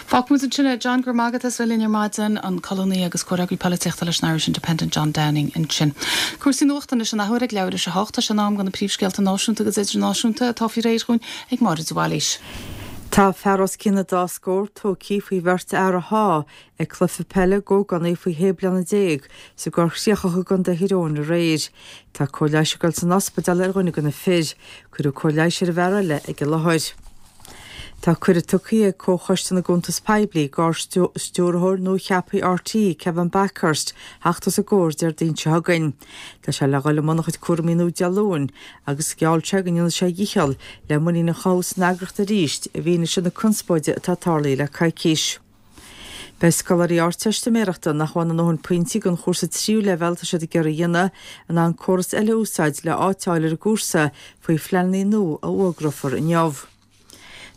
Fágfaimid ansin é. John, go raibh maith agat as bheith linn ar maidin, an colúnaí agus comhfhreagraí polaitíochta leis an Irish Independent, John Downing ansin. Cúrsaí nuachta anois an athuair ag leathuair théis a hocht. Tá sé in am do na príomhscéalta náisiúnta agus idirnáisiúnta atá faoi réir dhúinn ag Máire de Bhailís. Tá fear os cionn an dá scór tógtha faoi bheirt fhear a shá ag cluiche peile d'ógánaigh faoi 16 bliana sa gCorr Chríochach i gContae Thír Eoghain aréir. Tá cóir leighis ag dul san ospidéal ar dhuine de na fir. Cuireadh cóir leighis ar an bhfear eile ag an láthair. Tá cuireadh tugtha ag Comhchoiste na gCuntas Poiblí d'Ard-Stiúrthóir nua-cheaptha RTÉ, Kevin Bakhurst, theacht os a gcomhair Déardaoin seo chugainn. Tá sé le dhul i mbun a chuid cúraimí nua Dé Luain agus gheall sé go ndéanfaidh sé a dhícheall le muinín a chothú san eagraíocht arís i bhfianaise na conspóide atá tarlaithe le coicís. Beidh scoláirí Ardteistiméireachta nach bhfaigheann a ndóthain pointí don chúrsa tríú leibhéal atá siad ag iarraidh a dhéanamh, in ann córas eile a úsáid le áit a fháil ar an gcúrsa faoi phleananna nua a fhógrófar inniu.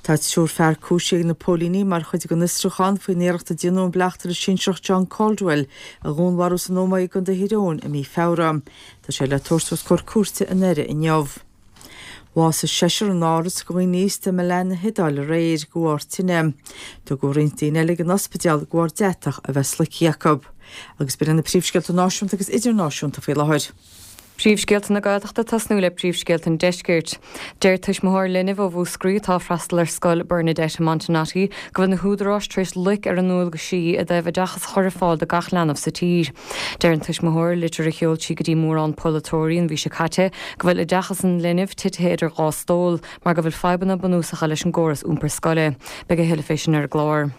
Tá triúr fear cúisithe ag na póilíní mar chuid den fhiosrúchán faoin iarracht a déanadh an bleachtaire sinsearach John Caldwell a dhúnmharú san Ómaigh i gContae Thír Eoghain i mí Feabhra. Tá sé le tabhairt os comhair cúirte i nDoire inniu. Bhásaigh seisear in áras do dhaoine aosta i Milan na hIodáile aréir de bharr tine. Tugadh roinnt daoine eile ag an ospidéal de bharr deatach a bheith sloicthe acu. Agus b'in iad na príomhscéalta náisiúnta agus idirnáisiúnta faoi láthair. Príomhscéalta na Gaeltachta tosnú le príomhscéalta an Deiscirt. Deir tuismitheoir linbh ó Mhúscraí atá ag freastal ar scoil Bernadette i Montenotte go bhfuil na húdaráis tar éis loic ar a ndualgaisí i dtaobh oideachas a chur ar fáil do gach leanbh sa tír. Deir an tuismitheoir i litir a sheol sí go dtí mórán polaiteoirí an mhí seo caite go bhfuil oideachas an linbh titithe idir dhá stól mar go bhfuil fadhbanna bunúsacha leis an gcóras iompair scoile. Beidh a thuilleadh fé sin ar an gclár.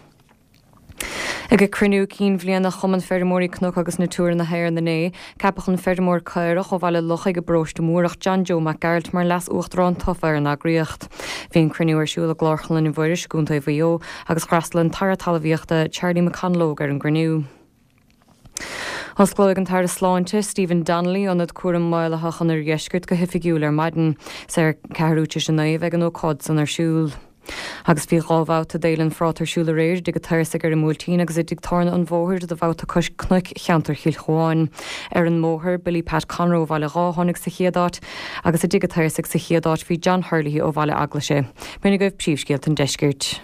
Ag cruinniú cinn bhliana Chumann Feirmeoirí Cnoc agus Natura na hÉireann inné, ceapadh an feirmeoir caorach ó Bhaile Lochaigh i bparóiste Múrach, John Joe Mac Gearailt mar Leas-Uachtarán tofa ar an eagraíocht. Bhí an cruinniú ar siúl i gClárchlann Mhuiris i gContae Mhaigh Eo agus d'fhreastail an tAire Talmhaíochta, Charlie McConalogue ar an gcruinniú. Osclóidh an tAire Sláinte, Stephen Donnelly, Ionad Cúraim Maolaitheach an Oirdheiscirt go hoifigiúil ar maidin. Is ar ceathrú tar éis a 9 a bheidh an ócáid san ar siúl. Agus bhí 2 bhabhta d'Fhéile an Phráta ar siúl aréir i dTigh an tSaorsaigh ar an mBuailtín agus i dTigh Tábhairne an Bhóthair do bhabhta cois cnoic cheantar Chill Chuáin. Ar an mBóthar, Billy Pat Conroe ó Bhaile Dháith a tháinig sa chéad áit agus i dTigh an tSaorsaigh sa chéad áit bhí John Herlihy ó Bhaile Eaglaise. B'in agaibh príomhscéalta an Deiscirt.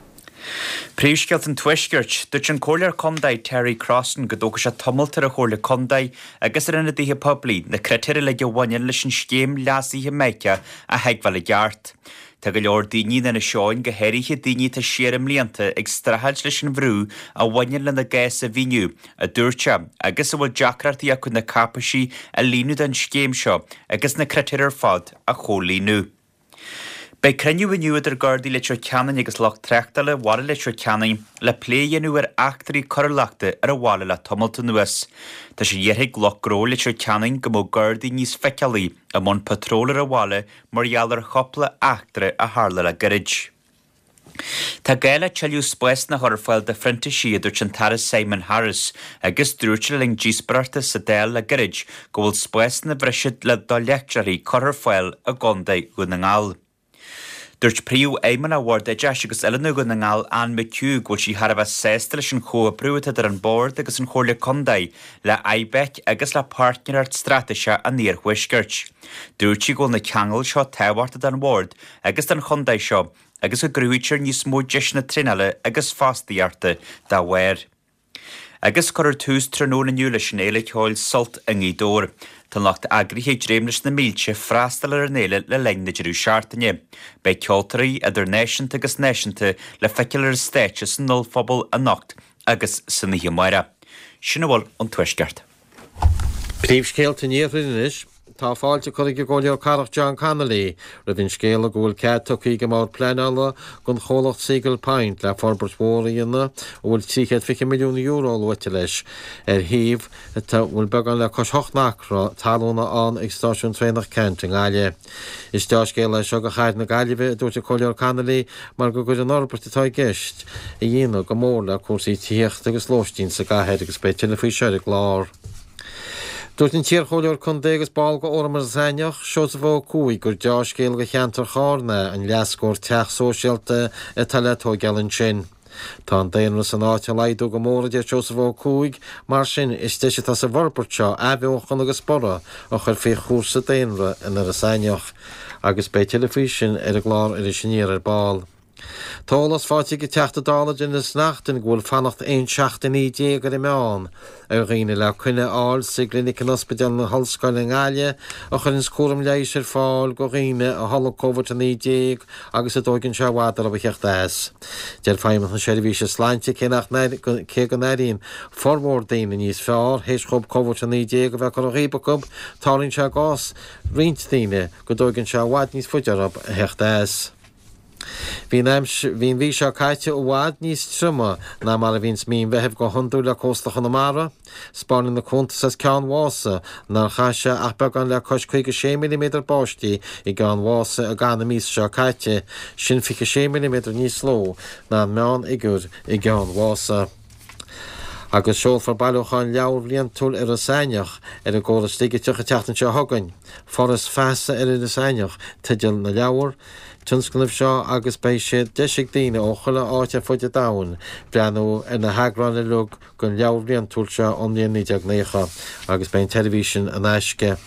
Príomhscéalta an Tuaiscirt. Dúirt an Comhairleoir Contae Terry Crossan go dtógfaidh sé tamalt ar an Chomhairle Contae agus ar ionadaithe poiblí na critéir uilig a bhaineann leis an scéim leasaithe Mica a thuigbheáil i gceart. Tá go leor daoine in Inis Eoghain, go háirithe daoine atá siar i mblianta, ag streachailt leis an bhrú a bhaineann lena gcás a mhíniú, a dúirt sé, agus a bhfuil deacrachtaí acu na cáipéisí a líonadh don scéim seo agus na critéir ar fad a chomhlíonadh. Beidh cruinniú inniu idir Gardaí Leitir Ceanainn agus lucht tráchtála bhaile Leitir Ceanainn le plé a dhéanamh ar eachtraí coiriúlachta ar an bhaile le tamalt anuas. Tá sé iarrtha ag lucht gnó Leitir Ceanainn go mbeadh Gardaí níos feiceálaí i mbun patról ar an bhaile mar gheall ar chúpla eachtra a tharla le gairid. Tá gá le tuilleadh spásanna a chur ar fáil do phrintísigh, a dúirt an tAire Simon Harris, agus dúirt sé le linn díospóireachta sa Dáil le gairid go bhfuil spásanna bhreise do leictreoirí curtha ar fáil i gContae Dhún na nGall. Dúirt Príomhfheidhmeannach Bhord Oideachais agus Oiliúna Dhún na nGall, Anne McHugh, go bhfuil sí thar a bheith sásta leis an chomhoibriú atá idir an Bord agus an Chomhairle Contae, le IBEC agus le Páirtnéireacht Straitéiseach an Iarthuaiscirt. Dúirt sí go bhfuil na ceangail seo tábhachtach don Bhord agus don chontae seo agus go gcruthaítear níos mó deiseanna traenála agus fostaíochta dá bharr. Agus cuirfear tús tráthnóna inniu leis an fhéile ceoil Sult i nGaoth Dobhair. Tá an lucht eagraithe ag dréim leis na mílte freastal ar an fhéile le linn na deireadh seachtaine. Beidh ceoltóirí, idir náisiúnta agus náisiúnta, le feiceáil ar an stáitse san ollphuball anocht agus san oíche amárach. Sin a bhfuil ón Tuaisceart. Príomhscéalta an Iarthair anois. Tá fáilte curtha ag an gComhairleoir Cathrach John Connolly roimh an scéala go bhfuil cead tugtha ag an mBord Pleanála don chomhlacht Seagull Point le forbairt mhór a dhéanamh a bhfuil €320 milliún luaite leis ar shuíomh atá a bhfuil beagán le cois hocht n-acra talúna ann ag Stáisiún Traenach Ceannt i nGaillimh. Is deá-scéal é seo do chathair na Gaillimhe, a dúirt an Comhairleoir Connolly, mar go gcuirfidh an fhorbairt atá i gceist a dhéanamh go mór le cúrsaí tithíochta agus lóistín sa gcathair agus beidh tuilleadh faoi seo ar an gclár. Dúirt an t-iarchomhairleoir contae agus ball de Fhóram Iorras Aithneach, Seosamh Ó Cuaig, gur deá-scéal do cheantar Chárna an leathscór teach sóisialta atá le tóigeáil ansin. Tá an daonra san áit ag laghdú go mór, a deir Seosamh Ó Cuaig, mar sin is deis atá sa bhforbairt seo athbheochan agus borradh a chur faoi chúrsa daonra in Iorras Aithneach. Agus beidh tuilleadh faoi sin ar an gclár Iris Aniar ar ball. Tá eolas faighte ag an Teachta Dála Denis Naughten go bhfuil fanacht 11 seachtainí ar an meán ar dhaoine le coinne a fháil sa gclinic in Ospidéal na hOllscoile i nGaillimh a chuireanns cúram leighis ar fáil go dhaoine a tholg Covid-19 agus a dtóigeann sé i bhfad orthu a theacht as. Deir Feidhmeannacht na Seirbhíse Sláinte cé nach cé go n-airíonn formhór daoine níos fearr théis dhóibh Covid-19 a bheith curtha dhíob acu, tarlaíonn sé i gcás roinnt daoine go dtóigeann sé i bhfad níos faide orthu a theacht as. Bhí an aimsir, bhí an mhí seo caite i bhfad níos troime ná mar a bhíonns mí an Mheithimh go hiondúil le cósta Chonamara. 'Spáineann na cuntais as Ceann Mhása nár chaith sé ach beagán le cois 56 milliméadar báistí i gCeann Mhása i gcaitheamh na míosa seo caite, sin 26 milliméadar níos lú ná an meánfhigiúr i gCeann Mhása. Agus seolfar bailiúchán leabhar bhliantúil Iorras Aithneach ar an gcóras digiteach an tseachtain seo chugainn. Foras Feasa ar Iorras Aithneach teideal na leabhar tionscnaimh seo agus beidh sé deis ag daoine ó chuile áit ar fud an domhain breathnú ar na heagráin uilig den leabhar bhliantúil seo ón mbliain 1990 agus beidh an tseirbhís sin in aisce.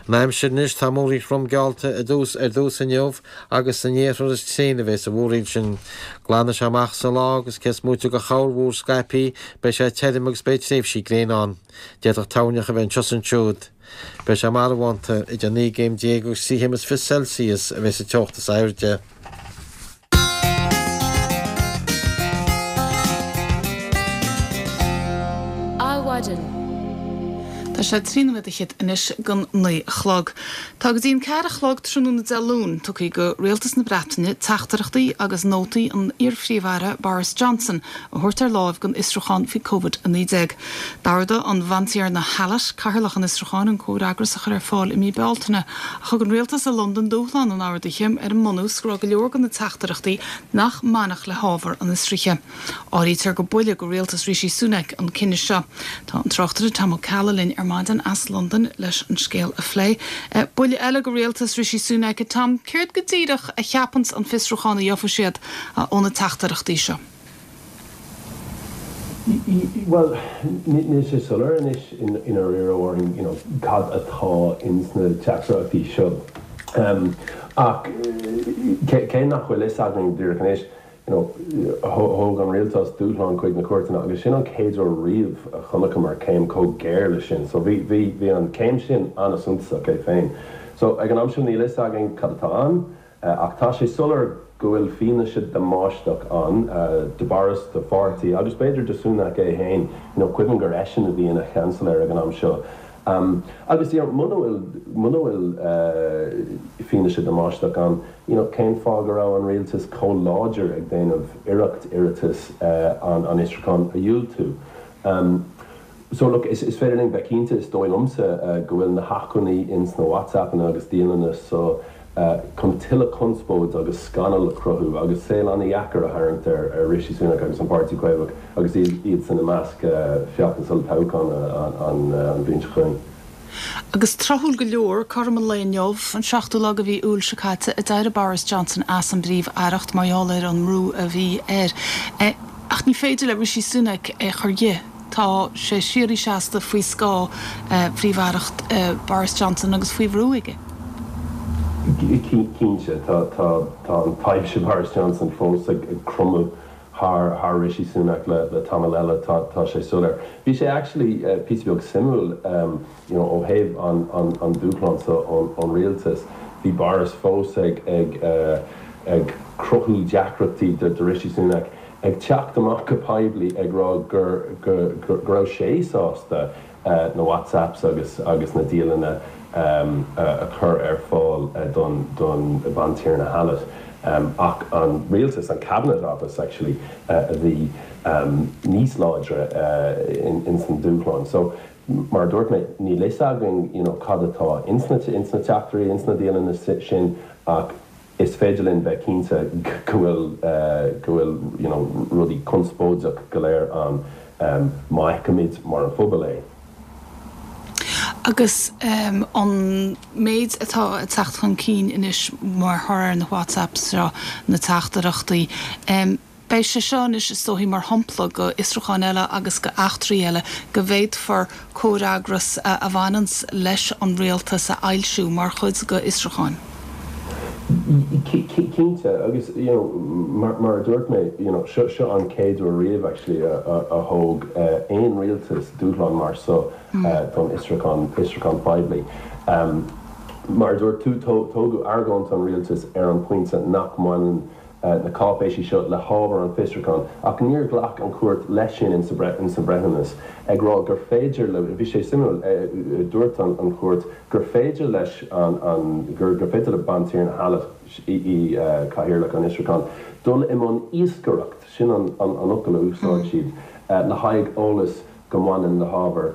An aimsir anois, tá múraíl throm geallta ar dtús ar dtús inniu agus san iarthar is tréine a bheas an mhúraíl sin. Glanfaidh sé amach sa lá agus cé is móite de chorrmhúr scaipthe beidh sé tirim agus beidh tréimhsí gréine ann. D'fhéadfadh toirneach a bheith anseo is ansiúd. Beidh sé marbhánta, idir 19 gcéim agus 23 chéim Celsius a bheas an teocht is airde. Adhmhaidin. Tá sé 13 nóiméad fhichead anois don 9 a chlog. Tá go dtí an 4 a chlog tráthnóna Dé Luain tugtha go Rialtas na Breataine teachtaireachtaí agus nótaí an iar-Phríomh-Aire Boris Johnson a thabhairt ar láimh don fhiosrúchán faoi Covid-19. D'ordaigh an Bhantiarna Hallett, cathaoirleach an fhiosrúcháin, an comhfhreagras a chur ar fáil i mí Bealtaine, ach thug an rialtas i Londain dúshlán an ordaithe ar an mbunús go raibh go leor de na teachtaireachtaí nach mbainfeadh le hábhar an fhiosraithe. Áirítear gur buille go rialtas Rishi Sunak an cinneadh seo. Tá an tráchtaire Tom Ó Ceallaigh linn ar maidin as Londain leis an scéal a phlé. Buille eile go rialtas Rishi Sunak, a Tom. Céard go díreach a cheapanns an fiosrúchán a gheofaidh siad ó na teachtaireachtaí seo? Bhuel, níl sé soiléir anois i ndáiríre, a Mháirín, you know, cad atá ins na teachtaireachtaí seo. Ach cé nach bhfuil fhios againn díreach anois, you know, thóg an rialtas dúshlán chuig na cúirteanna agus sin an chéad uair riamh a chonaiceamar céim chomh géar leis sin. So bhí, bhí, bhí an chéim sin an-suntasach é féin. So ag an am seo níl fhios againn cad atá ann. Ach tá sé soiléir go bhfuil fianaise damáisteach ann do Boris, do pháirtí agus b'fhéidir do Sunak é féin. You know, cuimhin gur eisean a bhí ina Sheansailéir ag an am seo. Agus you know, muna bhfuil, muna bhfuil fianaise damáisteach ann, you know, cén fáth go raibh an rialtas chomh láidir ag déanamh iarracht iarratas an an fhiosrúcháin a dhiúltú? So look, is féidir linn bheith cinnte, is dóigh liomsa, go bhfuil na hacmhainní ins na WhatsAppanna agus dialanna so. chun tuilleadh conspóid agus scannal a chruthú agus saol an-dheacair a tharraingt ar Rishi Sunak agus an Páirtí Caomhach agus iadsan i measc feachtas olltoghcháin an bhliain seo chugainn. Agus tráthúil go leor, cothrom an lae inniu, an seachtú lá de mhí Iúil seo caite, a d'éirigh Boris Johnson as an bPríomh-Aireacht mar gheall ar an mbrú a bhí air. Ach ní féidir le Rishi Sunak é a chur dhe. Tá sé síoraí seasta faoi scáth Phríomh-Aireacht Boris Johnson agus faoi bhrú aige. Cinnte, tá an taibhse Boris Johnson fós ag cromadh thar Rishi Sunak le tamall eile, tá sé soiléir. Bhí sé actually píosa beag suimiúil you know ó thaobh an dúshlán seo ón rialtas, bhí Boris fós ag ag cruthú deacrachtaí do Rishi Sunak, ag teacht amach go poiblí ag rá gur go raibh sé sásta na WhatsApps agus agus na dialanna a chur ar fáil don don Bhantiarna Hallett. Ach an rialtas, an Cabinet Office actually, a bhí níos láidre ins an dúshlán. So mar a dúirt mé, níl fhios againn you know cad atá ins na ins na teachtairí, ins na dialanna sin ach is féidir linn bheith cinnte go bhfuil go bhfuil you know rudaí conspóideach go léir ann má fheicimid mar an phobal é. Agus an méid atá ag teacht chun cinn anois mar thoradh ar na WhatsApps seo, na teachtaireachtaí, beidh sé seo anois is dóichí mar shampla go fhiosrúcháin eile agus go eachtraí eile go bhféadfar comhfhreagras a bhaineanns leis an rialtas a fhoilsiú mar chuid go fhiosrúcháin. Cinnte, agus you know mar a dúirt mé, you know seo seo an chéad uair riamh actually a thóg aon rialtas dúshlán mar seo don fhiosrúchán, fiosrúchán poiblí. Mar a dúirt tú, tógadh argóint an rialtais ar an bpointe nach mbaineann na cáipéisí seo le hábhar an fhiosrúcháin, ach níor ghlac an chúirt leis sin insa breithiúnas, ag rá gur féidir le, bhí sé suimiúil, dúirt an chúirt gur féidir leis an, gur féidir le Bantiarna Hallett, í cathaoirleach an fhiosrúcháin, dul i mbun iascaireacht, sin an fhocal a úsáid siad, le haghaidh eolas go mbaineann le hábhar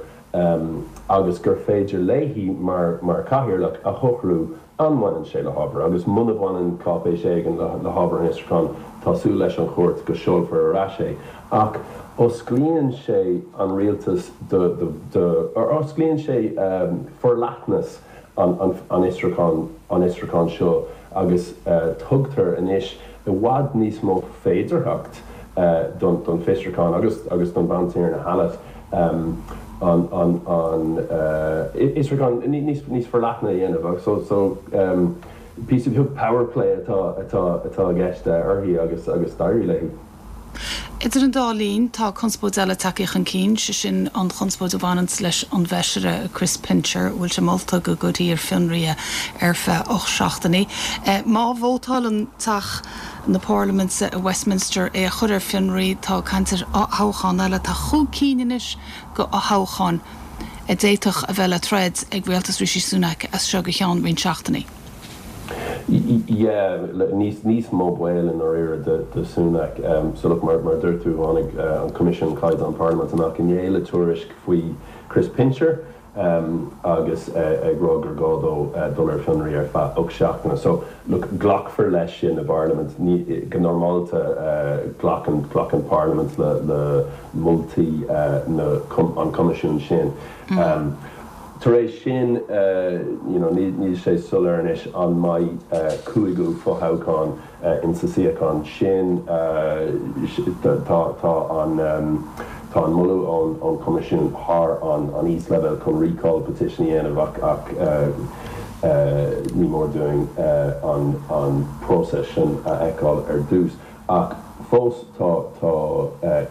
agus gur féidir léi mar chathaoirleach a shocrú an mbaineann sé le hábhar agus muna bhaineann cáipéis éigin le hábhar an fhiosrúcháin, tá súil leis an chúirt go seolfar ar ais é. Ach osclaíonn sé an rialtas do, do, osclaíonn sé forleathnas an fhiosrúcháin, an fhiosrúcháin seo agus tugtar anois i bhfad níos mó féidearthacht don fiosrúchán agus agus don Bhantiarna Hallett an an an fhiosrúchán níos níos forleathna a dhéanamh. So so píosa beag power play atá atá atá i gceist uirthi agus agus d'éirigh léi. Idir an dá linn, tá conspóid eile tagtha chun cinn, sé sin an chonspóid a bhaineanns leis an bhFeisire Chris Pincher, a bhfuil sé molta go gcuirfí ar fionraí é ar feadh 8 seachtainí. Má vótálann Teach na Parlaiminte i Westminster é a chur ar fionraí, tá caint ar thoghchán eile. Tá chúig cinn anois de fhothoghcháin a d'fhéadfadh a bheith le troid ag rialtas Rishi Sunak as seo go ceann roinnt seachtainí. Yeah, níos mó baol i ndáiríre do Sunak. So look, mar a dúirt tú, tháinig an Coimisiún Caighdeán Parlaiminte amach inné le tuairisc faoi Chris Pincher agus ag rá gur gá dó dul ar fionraí ar feadh 8 seachtaine. So look, glacfar leis sin i bParlaimint. Go normálta glacann glacann Parlaimint le moltaí na an Choimisiúin sin. Tar éis sin, you know, níl sé soiléir anois an mbeidh cúigiú fothoghchán insa suíochán sin. Tá tá an tá an moladh ón ón Choimisiún thar an an íosleibhéal chun recall petition a dhéanamh ach ach ní mór dúinn an an próiseas sin a fheiceáil ar dtús. Ach fós tá tá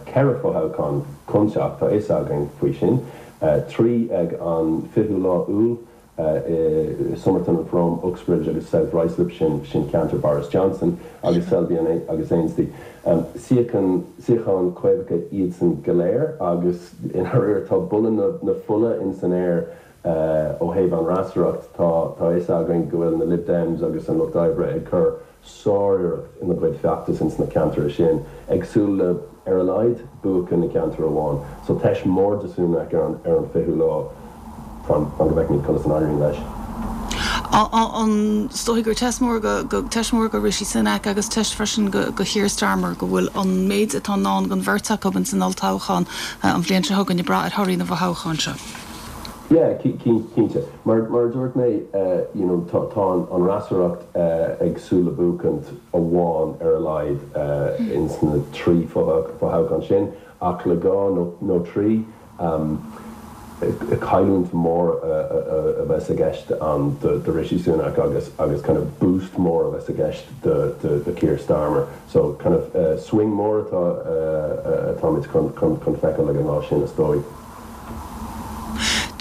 4 fothoghchán chun teacht, tá fhios againn faoi sin. 3 ag an 20ú lá Iúil i Somerton and Frome, Uxbridge agus South Ruislip, sin sin ceantar Boris Johnson, agus Selby agus Ainsty. Suíochan suíocháin Caomhacha iadsan go léir agus i ndáiríre tá boladh na na fola ins an aer ó thaobh an fhreasúracht. Tá tá fhios againn go bhfuil na Lib Dems agus an Lucht Oibre ag cur sáriarracht ina gcuid feachtas ins na ceantair sin, ag súil le, ar a laghad, buachan i gceantar amháin. So teist mór do Sunak ar an ar an 20ú lá, fan fan go bhfeicfimid conas an éiríonn leis. An is dóigh gur teist mór go teist mór go Rishi Sunak agus teist freisin go go Keir Starmer go bhfuil an méid atá i ndán don bheirt acu ins an olltoghchán an bhliain seo chugainn ag brath ar thorthaí na bhfothoghchán seo. Yeah, cinnte. Mar mar a dúirt mé, you know, tá tá an fhreasúracht ag súil le buachaint amháin ar a laghad ins na 3 fothoghchán sin, ach le 2 nó 3, Cailliúint mór a bheas i gceist ann do Rishi Sunak agus agus kind of boost mór a bheas i gceist do Keir Starmer. So kind of swing mór atá atáimid chun chun feiceáil ag an lá sin is dóigh.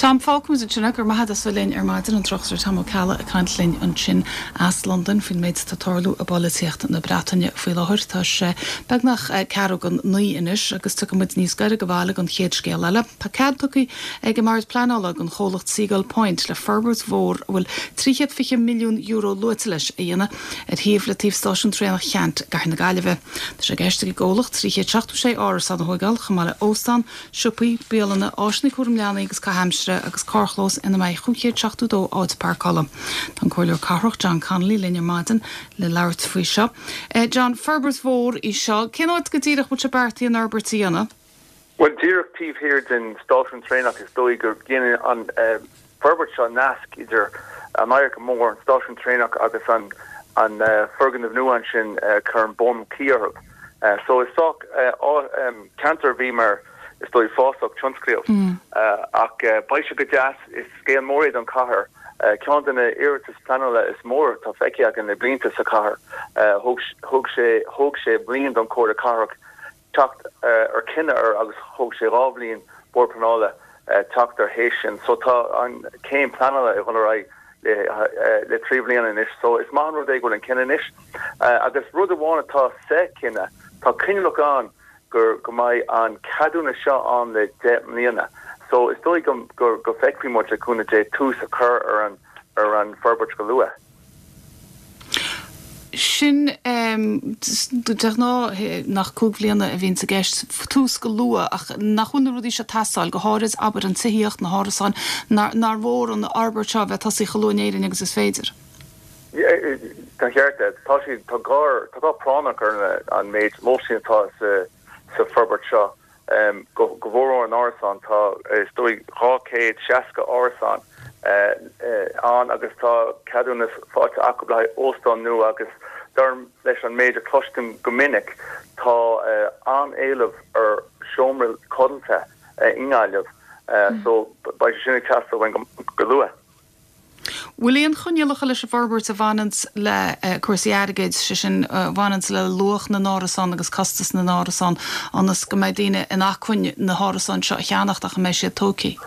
Tom, fágfaimid ansin é. Go raibh maith agat as bheith linn ar maidin, an tráchtaire Tom Ó Ceallaigh ag caint linn ansin as Londain faoin méid atá ag tarlú i bpolaitíocht na Breataine faoi láthair. Tá sé beagnach ceathrú don naoi anois agus tiocfaidh muid níos gaire do bhaile don chéad scéal eile. Tá cead tugtha ag an mBord Pleanála don chomhlacht Seagull Point le forbairt mhór a bhfuil €320 milliún luaite leis a dhéanamh ar shuíomh le taobh stáisiún traenach Cheannt i gcathair na Gaillimhe. Tá sé i gceist ag an gcomhlacht 376 árasán a thóigeáil, chomh maith le óstán, siopaí, bialanna, áiseanna cúram leanaí agus caitheamh aimsire agus carrchlós ina mbeidh 572 áit páirceála. Tá an Comhairleoir Cathrach John Connolly linn ar maidin le labhairt faoi seo. John, forbairt mhór í seo. Cén áit go díreach a bhfuil sé beartaithe an fhorbairt a dhéanamh? Bhuel, díreach taobh thiar den stáisiún traenach is dóigh go ndéanann an forbairt seo nasc idir an Adharca Mór, an stáisiún traenach agus an foirgneamh nua ansin, cuireann Beaumont Quay orthu. So is sách ceantar a bhí mar is dóigh fásach tionsclaíoch ach beidh sé go deas, is scéal mór é don chathair, ceann de na iarratais pleanála is mó atá feicthe againn le blianta sa chathair. Thóg sé thóg sé bliain don Chomhairle Cathrach teacht ar cinneadh air agus thóg sé 2 bhliain Bord Pleanála teacht air théis sin. So tá an céim pleanála ag dul ar aghaidh le le 3 bhliana anois. So is maith an rud é go bhfuil an cinneadh anois. Agus rud amháin atá sa chinneadh, tá coinníollacha ann gur go mbeidh an ceadúnas seo ann le 10 mbliana. So is dóigh go go go feicfidh muid le cúnamh Dé tús a chur ar an ar an forbairt go luath. Sin de ghnáth nach 5 bhliana a bhíonns i gceist, tús go luath, ach nach bhfuil na rudaí seo ag teastáil, go háirid, abair, an tithíocht, na hárasáin, nár mhór an fhorbairt seo a bheith tosaithe chomh luath in Éirinn agus is féidir? Tá an ceart agat. Tá sé, tá gá, tá gá práinneach ar an méid lóistín atá sa, sa forbairt seo. Go, go mhórmhór an árasán, tá, is dóigh, 260 árasán ann agus tá ceadúnas faighte acu le haghaidh óstán nua agus dar leis an méid a chloistim go minic, tá an-éileamh ar seomra codlata i nGaillimh so beidh sé sin ag teastáil uainn go luath. Bhfuil aon choinníollacha leis an bhforbairt a bhaineanns le cúrsaí airgid, sé sin, a bhaineanns le luach na n-árasán agus costas na n-árasán, ionas go mbeidh daoine in acmhainn na hárasáin seo a cheannacht ach a mbeidh siad tógtha?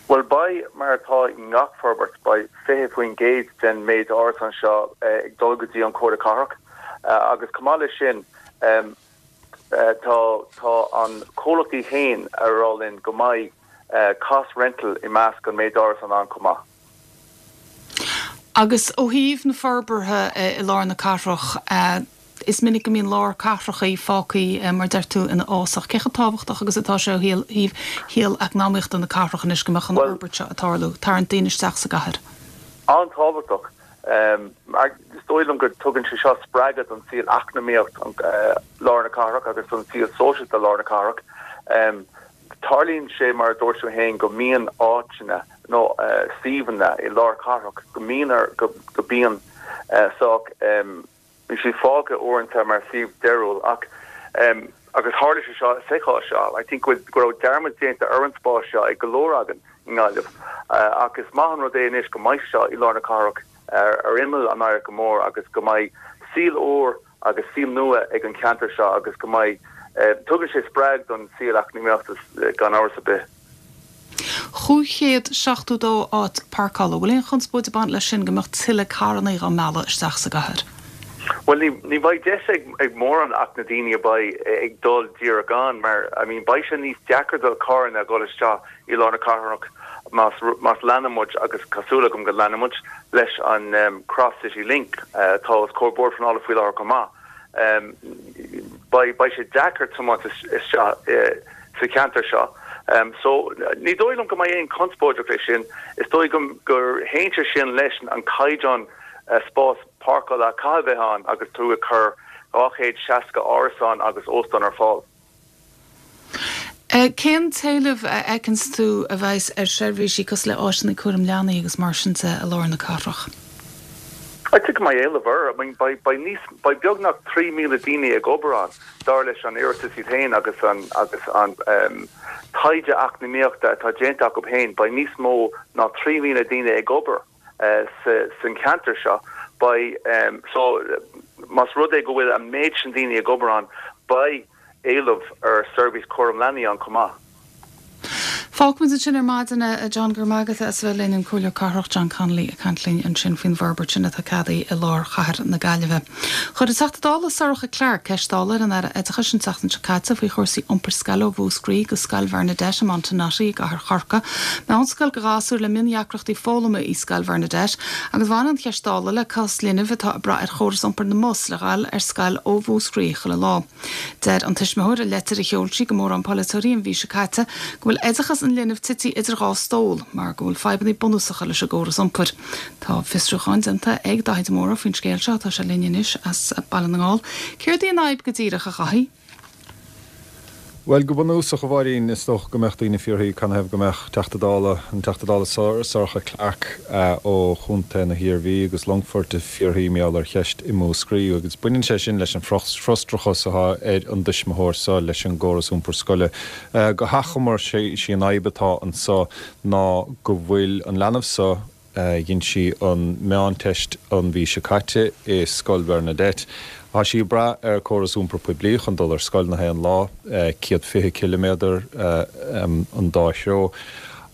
Bhuel, beidh, mar atá i ngach forbairt, beidh 20% den méid árasán seo ag dul go dtí an Chomhairle Cathrach agus chomh maith leis sin, tá tá an comhlacht iad féin a rá linn go mbeidh cost rental i measc an méid árasán ann chomh maith. Agus ó thaobh na forbartha i lár na cathrach, is minic go mbíonn lár cathrachaí fágtha, mar a deir tú, ina fhásach. Cé chomh tábhachtach agus atá sé ó thaobh shaol eacnamaíochta na cathrach anois go mbeadh an fhorbairt seo ag tarlú, tarraingt daoine isteach sa gcathair? An-tábhachtach. Is dóigh liom go dtugann sé seo spreagadh don saol eacnamaíocht lár na cathrach agus don saol sóisialta lár na cathrach. Tarlaíonn sé, mar a dúirt tú féin, go mbíonn áiteanna nó suíomhanna i lár cathrach go mbíonn ar, go mbíonn sách, bíonn siad fágtha uaireanta mar suíomh deiridh ach, agus tharla sé seo sa chás seo, I think go raibh dearmad déanta ar an spás seo ag go leor againn i nGaillimh ach is maith an rud é anois go mbeidh sé seo i lár na cathrach ar imeall an Adharca Mór agus go mbeidh saol úr agus saol nua ag an cheantar seo agus go mbeidh, tugann sé spreag don saol eacnamaíochta gan amhras ar bith. 572 áit páirceála, bhfuil aon chonspóid ag baint leis sin go mbeadh tuilleadh carrannaí dhá mealladh isteach sa gcathair? Bhuel ní, ní bheidh deis ag, ag mórán ach na daoine a bheidh ag dul díreach ann mar I mean beidh sé níos deacra do carranna a dhul isteach i lár na cathrach más, más leanann muid agus tá súil agam go leanann muid leis an Cross City Link atá os comhair Bord Pleanála faoi láthair chomh maith. Beidh, beidh sé deacair tiomáint isteach sa cheantar seo. So, ní dóigh liom go mbeidh aon conspóideach leis sin. Is dóigh gur théann sé sin leis an caighdeán spás páirceála a caithfidh bheith ann agus tú ag cur 260 árasán agus óstán ar fáil. Cén t-éileamh a fheiceanns tú a bheas ar sheirbhísí cosúil le áiseanna cúram leanaí agus mar sin de i lár na cathrach? I'd say go mbeidh éileamh air. I mean beidh beidh níos beidh beagnach 3,000 daoine ag obair ann dar leis an iarratas iad féin agus an agus an taighde eacnamaíochta atá déanta acu féin beidh níos mó ná 3,000 daoine ag obair san cheantar seo. Beidh so más rud é go bhfuil an méid sin daoine ag obair ann beidh éileamh ar seirbhís cúram leanaí ann chomh maith. Fágfaimid ansin ar maidin é, a John. Go raibh maith agat as a bheith linn, an Comhairleoir Cathrach John Connolly ag caint linn ansin faoin bhforbairt sin atá ceadaithe i lár chathair na Gaillimhe. Chuir an Teachta Dála Sorcha Clarke ceist Dála ar an Aire Oideachais an tseachtain seo caite faoi chúrsaí iompair scoile ó Mhúscraí go Scoil Bhernadette i Montenotte i gcathair Chorcaí. Meánscoil do ghasúir le miondheacrachtaí foghlama í Scoil Bhernadette agus bhain an cheist Dála le cás linbh atá ag brath ar chóras iompair na mbus le ghabháil ar scoil ó Mhúscraí chuile lá. Deir an tuismitheoir i leitir a sheol sí go mórán polaiteoirí an mhí seo caite go bhfuil oideachas an linbh tite idir dhá stól mar go bhfuil fadhbanna bunúsacha leis an gcóras iompair. Tá fiosrúchán déanta ag Daithí de Mórdha faoin scéal seo. Tá sé linn anois as Baile na nGall. Céard í an fhadhb go díreach, a Dhaithí? Bhuel, go bunúsach, a Mháirín, is dócha go mbeadh daoine ag fiafraí canathaobh go mbeadh Teachta Dála, an Teachta Dála Sorcha Clarke ó Chontae na hIarmhí agus Longfoirt ag fiafraí mar gheall ar cheist i Múscraí agus baineann sé sin leis an frustrachas atá ar an dtuismitheoir seo leis an gcóras iompair scoile. Go hachomair, sí an fhadhb atá anso ná go bhfuil an leanbh seo, Dhein sí an meánteist an mhí seo caite i Scoil Bhernadette. Tá sí ag brath ar córas iompar poiblí chun dul ar scoil na haon lá, 120 ciliméadar an dá threo,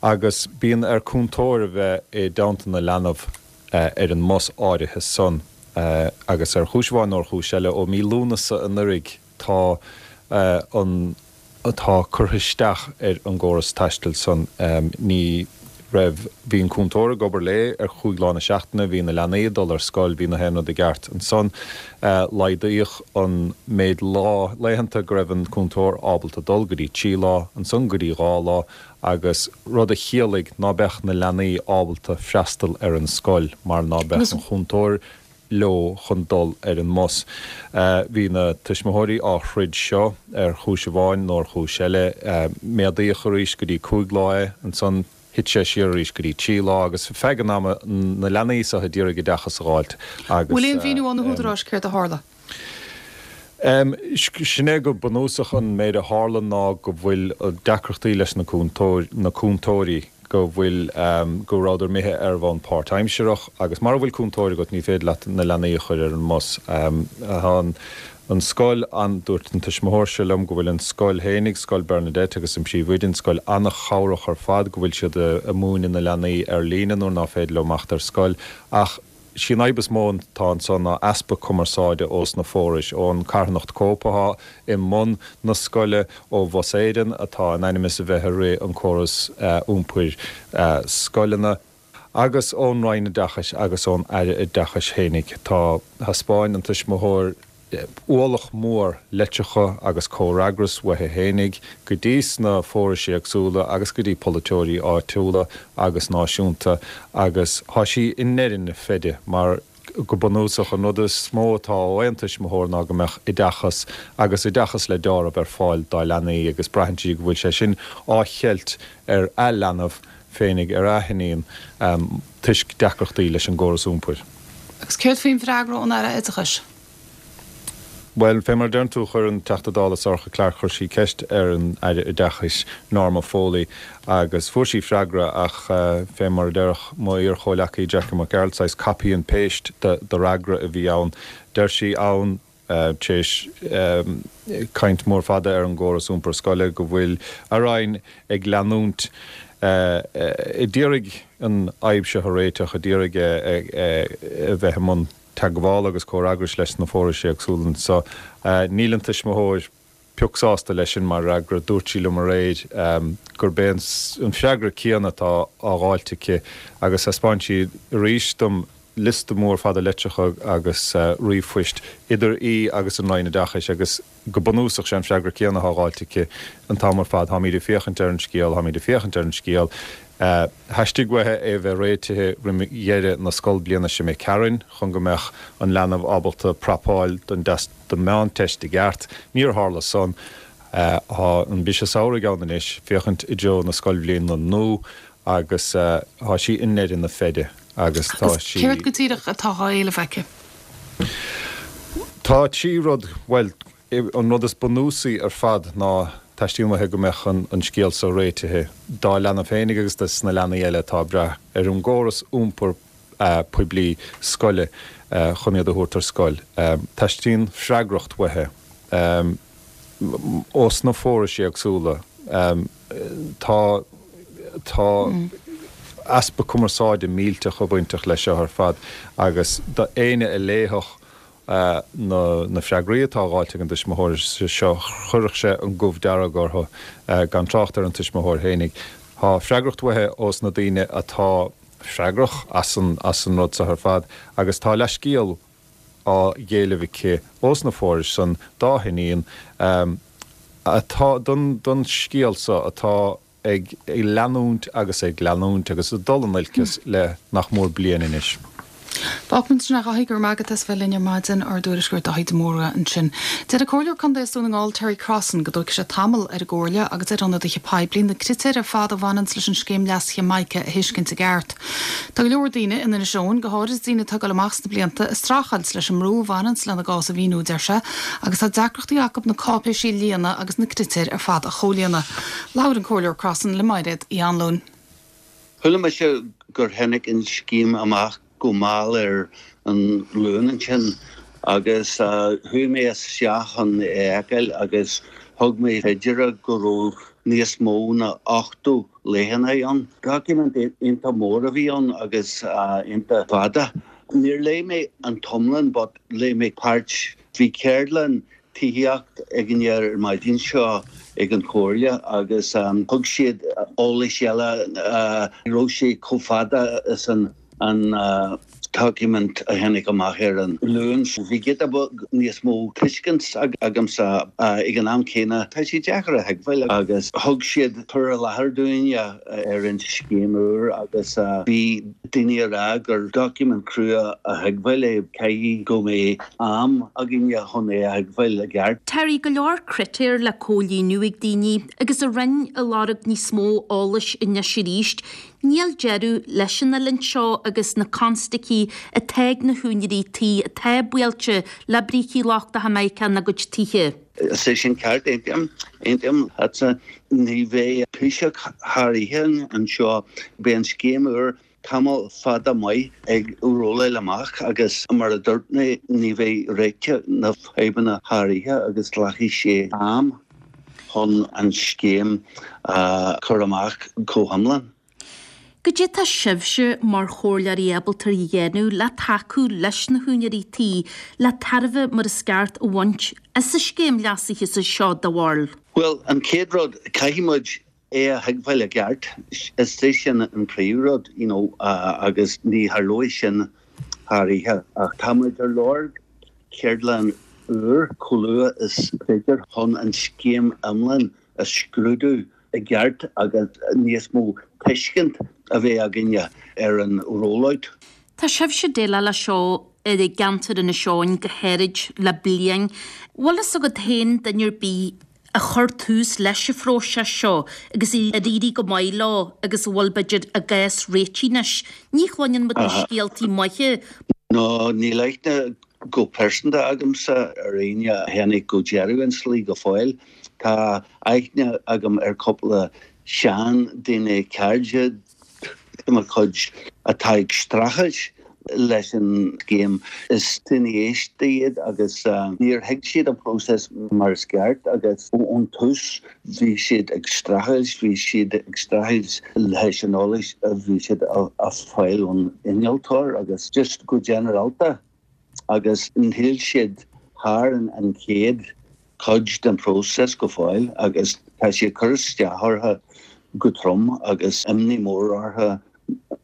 agus bíonn ar cúntóir a bheith i dteannta na leanbh ar an mbus áirithe san. Agus ar chúis amháin nó ar chúis eile, ó mí Lúnasa anuraidh tá an. atá curtha isteach ar an gcóras taistil san. Ní raibh, bhí an cúntóir ag obair léi ar chúig lá na seachtaine, bhí na leanaí ag dul ar scoil, bhí na haon rud i gceart. Ansan laghdaíodh an méid lá, laethanta go raibh an cúntóir ábalta dul go dtí trí lá, ansan go dtí dhá lá agus rud a chiallaigh ná beadh na leanaí ábalta freastal ar an scoil mar ná beadh an chúntóir leo chun dul ar an mbus. Bhí na tuismitheoirí á throid seo ar chúis amháin nó ar chúis eile. Méadaíodh arís go dtí 5 lá é, ansan thit sé siar arís go dtí 3 lá agus feadh an ama na leanaí seo ag iarraidh oideachas a dh'fháilt agus. Bhfuil aon mhíniú ó na húdaráis céard a tharla? Sin é go bunúsach an méid a tharla ná go bhfuil deacrachtaí leis na na cúntóirí, go bhfuil, go rabhadar imithe ar bhonn páirtaimsireach agus mara bhfuil cúntóir agat ní féidir leat na leanaí a chur ar an mbus. Tá an scoil an, dúirt an tuismitheoir seo liom go bhfuil an scoil fhéinig, Scoil Bernadette agus an príomhoide, an scoil an-chabhrach ar fad, go bhfuil siad a' múineadh na leanaí ar líne nuair ná féidir leo imeacht ar scoil ach, Sí an fhadhb is mó atá anso ná easpa cumarsáide ós na forais, ón carthanacht Cope atá i mbun na scoile, ó Bhus Éireann atá in ainm is a bheith ag rith an córas iompair scoileanna, agus ón Roinn Oideachais agus ón Aire Oideachais fhéinig. Tá, thaispeáin an tuismitheoir, ualach mór litreacha agus comhfhreagras uaithi fhéinig go dtí sna forais éagsúla agus go dtí polaiteoirí áitiúla agus náisiúnta agus thá sí i ndeireadh na feide mar go bunúsach an rud is mó atá ó aon tuismitheoir ná go mbeadh oideachas agus oideachas le deáramh ar fáil dá leanaí agus braitheann sí go bhfuil sé sin á cheilt ar a leanbh féinig, ar a hiníon toisc deacrachtaí leis an gcóras iompair. Agus céard faoin bhfreagra ón Aire Oideachais? Bhuel, fé mar a deireann tú, chuir an Teachta Dála Sorcha Clarke, chuir sí ceist ar an Aire Oideachais, Norma Foley, agus fuair sí freagra ach fé mar a déarfadh mo iar-chomhleacaí Jackie Mac Gearailt, saghas copy and paste de fhreagra a bhí ann. Deir sí ann, tar éis caint mór fada ar an gcóras iompair scoile, go bhfuil a Roinn ag leanúint a d'iarraidh an fhadhb seo a réiteach, a d'iarraidh a bheith i mbun teagmhála agus comhfhreagrais leis na forais éagsúla anso. Níl an tuismitheoir pioc sásta leis sin mar fhreagra. Dúirt sí liom aréir gurb é an freagra céanna atá á dh'fháilt aici agus thaispeáin sí arís dom. liosta mór fada litreacha agus ríomhphoist idir í agus an Roinn Oideachais agus go bunúsach sé an freagra céanna atá faighte aici an t-am ar fad, táimid ag féachaint ar an scéal, táimid ag féachaint ar an scéal. Theastaigh uaithi é a bheith réitithe roim dheireadh na scoilbliana seo imigh tharainn chun go mbeadh an leanbh ábalta prapáil don don Mheánteist i gceart. Níor tharla san. Tá an briseadh samhraidh ann anois, féachaint i dtreo na scoilbhliana nua agus tá sí i ndeireadh na feide agus tá Agus sí. céard go díreach atá á éileamh aici? Tá trí rud, bhuel, an rud is bunúsaí ar fad ná teastaíonn uaithi go mbeadh an scéal so réitithe dá leanbh féinig agus dos na leanaí eile atá ag brath ar an gcóras iompair poiblí scoile chun iad a thabhairt ar scoil. Teastaíonn freagracht uaithi ós na forais éagsúla. Tá tá easpa cumarsáide millteach bainteach leis seo ar fad agus d'éinne a léifeadh na na freagraí atá faighte ag an dtuismitheoir seo chuirfeadh sé an gomh dearg orthu, gan trácht ar an tuismitheoir fhéinig. Tá freagracht uaithi ós na daoine atá freagrach as an as an rud seo ar fad agus tá leithscéal á éileamh aici ós na forais san dá hiníon atá don don scéal seo atá ag leanúint agus ag leanúint agus ag dul in olcas le nach mór bliain anois. Fágfaimid ansin é a Dhaithí, go raibh maith agat as bheith linn ar maidin, ár dtuairisceoir Daithí de Mórdha ansin. Deir an Comhairleoir Contae as Dún na nGall Terry Crossan go dtógfaidh sé tamall ar an gComhairle agus ar ionadaithe poiblí na critéir ar fad a bhaineanns leis an scéim leasaithe MICA a thuiscint i gceart. Tá go leor daoine in Inis Eoghain, go háirid daoine atá ag dul amach sna blianta, ag streachailt leis an mbrú a bhaineanns lena gcás a mhíniú, deir sé, agus tá deacrachtaí acu na cáipéisí a líonadh agus na critéir ar fad a chomhlíonadh. Labhair an Comhairleoir Crossan le Mairéad Uí Anluain. Chuala mise gur tháinig an scéim amach go mall ar an Luan ansin agus chuaigh mé isteach chun é a fheiceáil agus thug mé fé deara go raibh níos mó ná 80 leathanach ann. Doiciméad iontach mór a bhí ann agus iontach fada. Níor léigh mé an t-iomlán but léigh mé páirt. Bhí ceardlann tithíocht againne ar maidin seo ag an Chomhairle agus thug siad eolais eile, ní raibh sé chomh fada is an doiciméad a tháinig amach ar an Luan. Bhí giota beag níos mó tuiscint agamsa ag an am céanna. Tá sé deacair a thuigbheáil agus thug siad cur i láthair dúinne ar an scéim úr agus bhí daoine ag rá gur doiciméad crua a thuigbheáil é, caithfidh go mbeidh am againne chun é a thuigbheáil i gceart. Terry, go leor critéar le comhlíonadh ag daoine agus an Roinn ag lorg níos mó eolais anois arís. Níl deireadh leis an oiliúint seo agus na constaicí atá ag na húinéirí tí atá buailte le brící lochtacha Mica ina gcuid tithe. Is é sin ceart, aontaím, aontaím leatsa. Ní bheidh taoiseach thar oíche anseo. Beidh an scéim úr tamall fada maith ag rolláil amach agus mar a dúirt mé, ní bheidh réiteach na fadhbanna thar oíche agus glacfaidh sé am chun an scéim a chur amach go hiomlán. Goidé tá sibhse mar chomhairleoirí ábalta a dhéanamh le tacú leis na húinéirí tí le tairbhe mar is ceart a bhaint as an scéim leasaithe seo do bharúil? Bhuel, an chéad rud, caithfidh muid é a thuigbheáil i gceart. Is é sin an príomhrud, you know, agus ní tharlóidh sin thar oíche. Ach tá muid ar lorg ceardlann úr chomh luath is féidir chun an scéim iomlán a scrúdú i gceart agus níos mó tuiscint a bheith againne ar an rollout. Tá sibhse ag déileáil leis seo i gceantar Inis Eoghain go háirid le bliain. Bhfuil fhios agat féin duine ar bith a chuir tús leis an phróiseas seo agus ar éirigh go maith leo agus a bhfuil b'fhéidir a gcás réitithe anois? Ní chluineann muid na scéaltaí maithe. No, níl aithne go pearsanta agamsa ar éinne a tháinig go deireadh an tslí go fóill. Tá aithne agam ar cúpla seandaoine cairde de mo chuid atá ag streachailt leis an scéim. Is daoine aosta iad agus níor thuig siad an próiseas mar is ceart agus ón tús bhí siad ag streachailt, bhí siad ag streachailt leis an eolas a bhí siad a fáil ón innealtóir agus just go ginearálta agus níl siad thar an chéad cuid den phróiseas go fóill agus tá sé ag cur isteach orthu go trom agus imní mór orthu.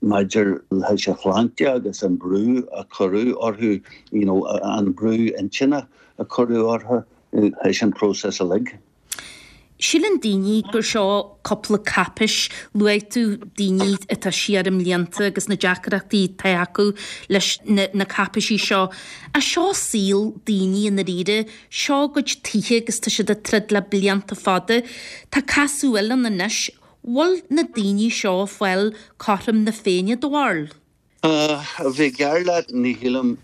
maidir leis an shláinte agus an brú a cuireadh orthu, you know, an brú intinne a cuireadh orthu leis an próiseas uilig. Síleann daoine gur seo cúpla cáipéis. Luaigh tú daoine atá siar i mblianta agus na deacrachtaí atá acu leis na cáipéisí seo. Ach seo saol daoine i ndáiríre. Seo a gcuid tithe agus tá siad ag troid le blianta fada. Tá casadh eile ann anois. Bhfuil na daoine seo ag fáil cothrom na Féinne do bharúil? A bheith gear leat, ní shílim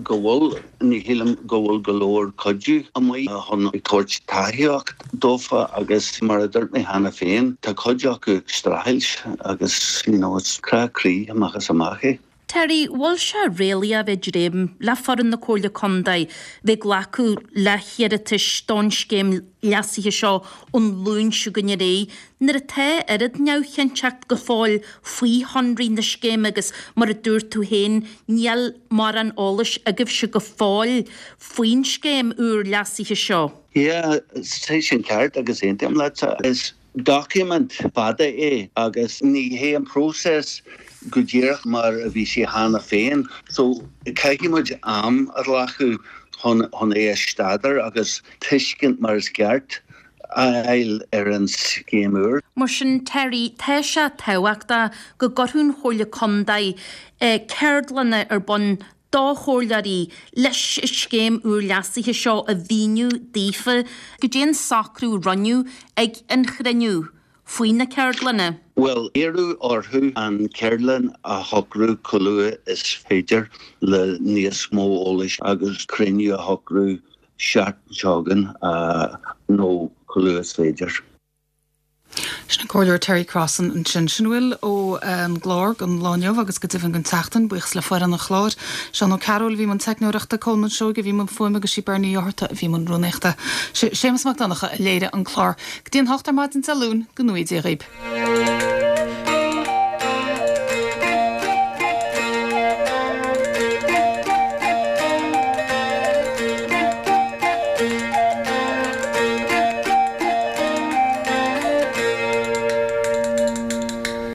go bhfuil. Ní shílim go bhfuil go leor cuidiú amuigh chun ag tabhairt tacaíocht dófa agus mar a dúirt mé cheana féin, tá cuid acu ag streachailt agus you know it's crá croí amach is amach é. Terry, bhfuil sé réalaíoch a bheith ag dréim le foireann na Comhairle Contae bheith ag glacadh le hiarratais don scéim leasaithe seo ón Luan seo chugainn ar aghaidh nuair atá oiread neamhchinnteacht go fóill faoi shonraí na scéime agus mar a dúirt tú féin níl mórán eolais agaibhse go fóill faoin scéim úr leasaithe seo. Yeah, tá sé sin ceart agus aontaím leatsa. Is doiciméad fada é agus ní hé an próiseas go díreach mar a bhí sé cheana féin so caithfidh muid am a ghlacadh chun chun é a staidéar agus tuiscint mar is ceart a fháil ar an scéim úr. Mar sin, Terry, tá sé tábhachtach go gcuirfeadh an Chomhairle Contae ceardlanna ar bun do chomhairleoirí leis an scéim úr leasaithe seo a mhíniú daofa. Goidé an socrú a rinneadh ag an chruinniú faoi na ceardlanna? Bhuel, iarradh orthu an ceardlann a shocrú chomh luath is féidir le níos mó eolais agus cruinniú a shocrú seachtain seo chugainn nó chomh luath is féidir. Sin an Comhairleoir Terry Crossan ansin. Sin a bhfuil ón gclár don lá inniu agus go deimhin don tseachtain. Buíochas le foireann an chláir. Seán Ó Cearúil a bhí i mbun teicneoireachta, Colmán Seoighe a bhí i mbun fuaime agus sí Bernie Uí Fhátharta a bhí i mbun rúnaíochta. Sé Séamus Mac Donncha a léirigh an clár. Go dtí an hocht ar maidin Dé Luain, go ngnóthaí Dia dhaoib.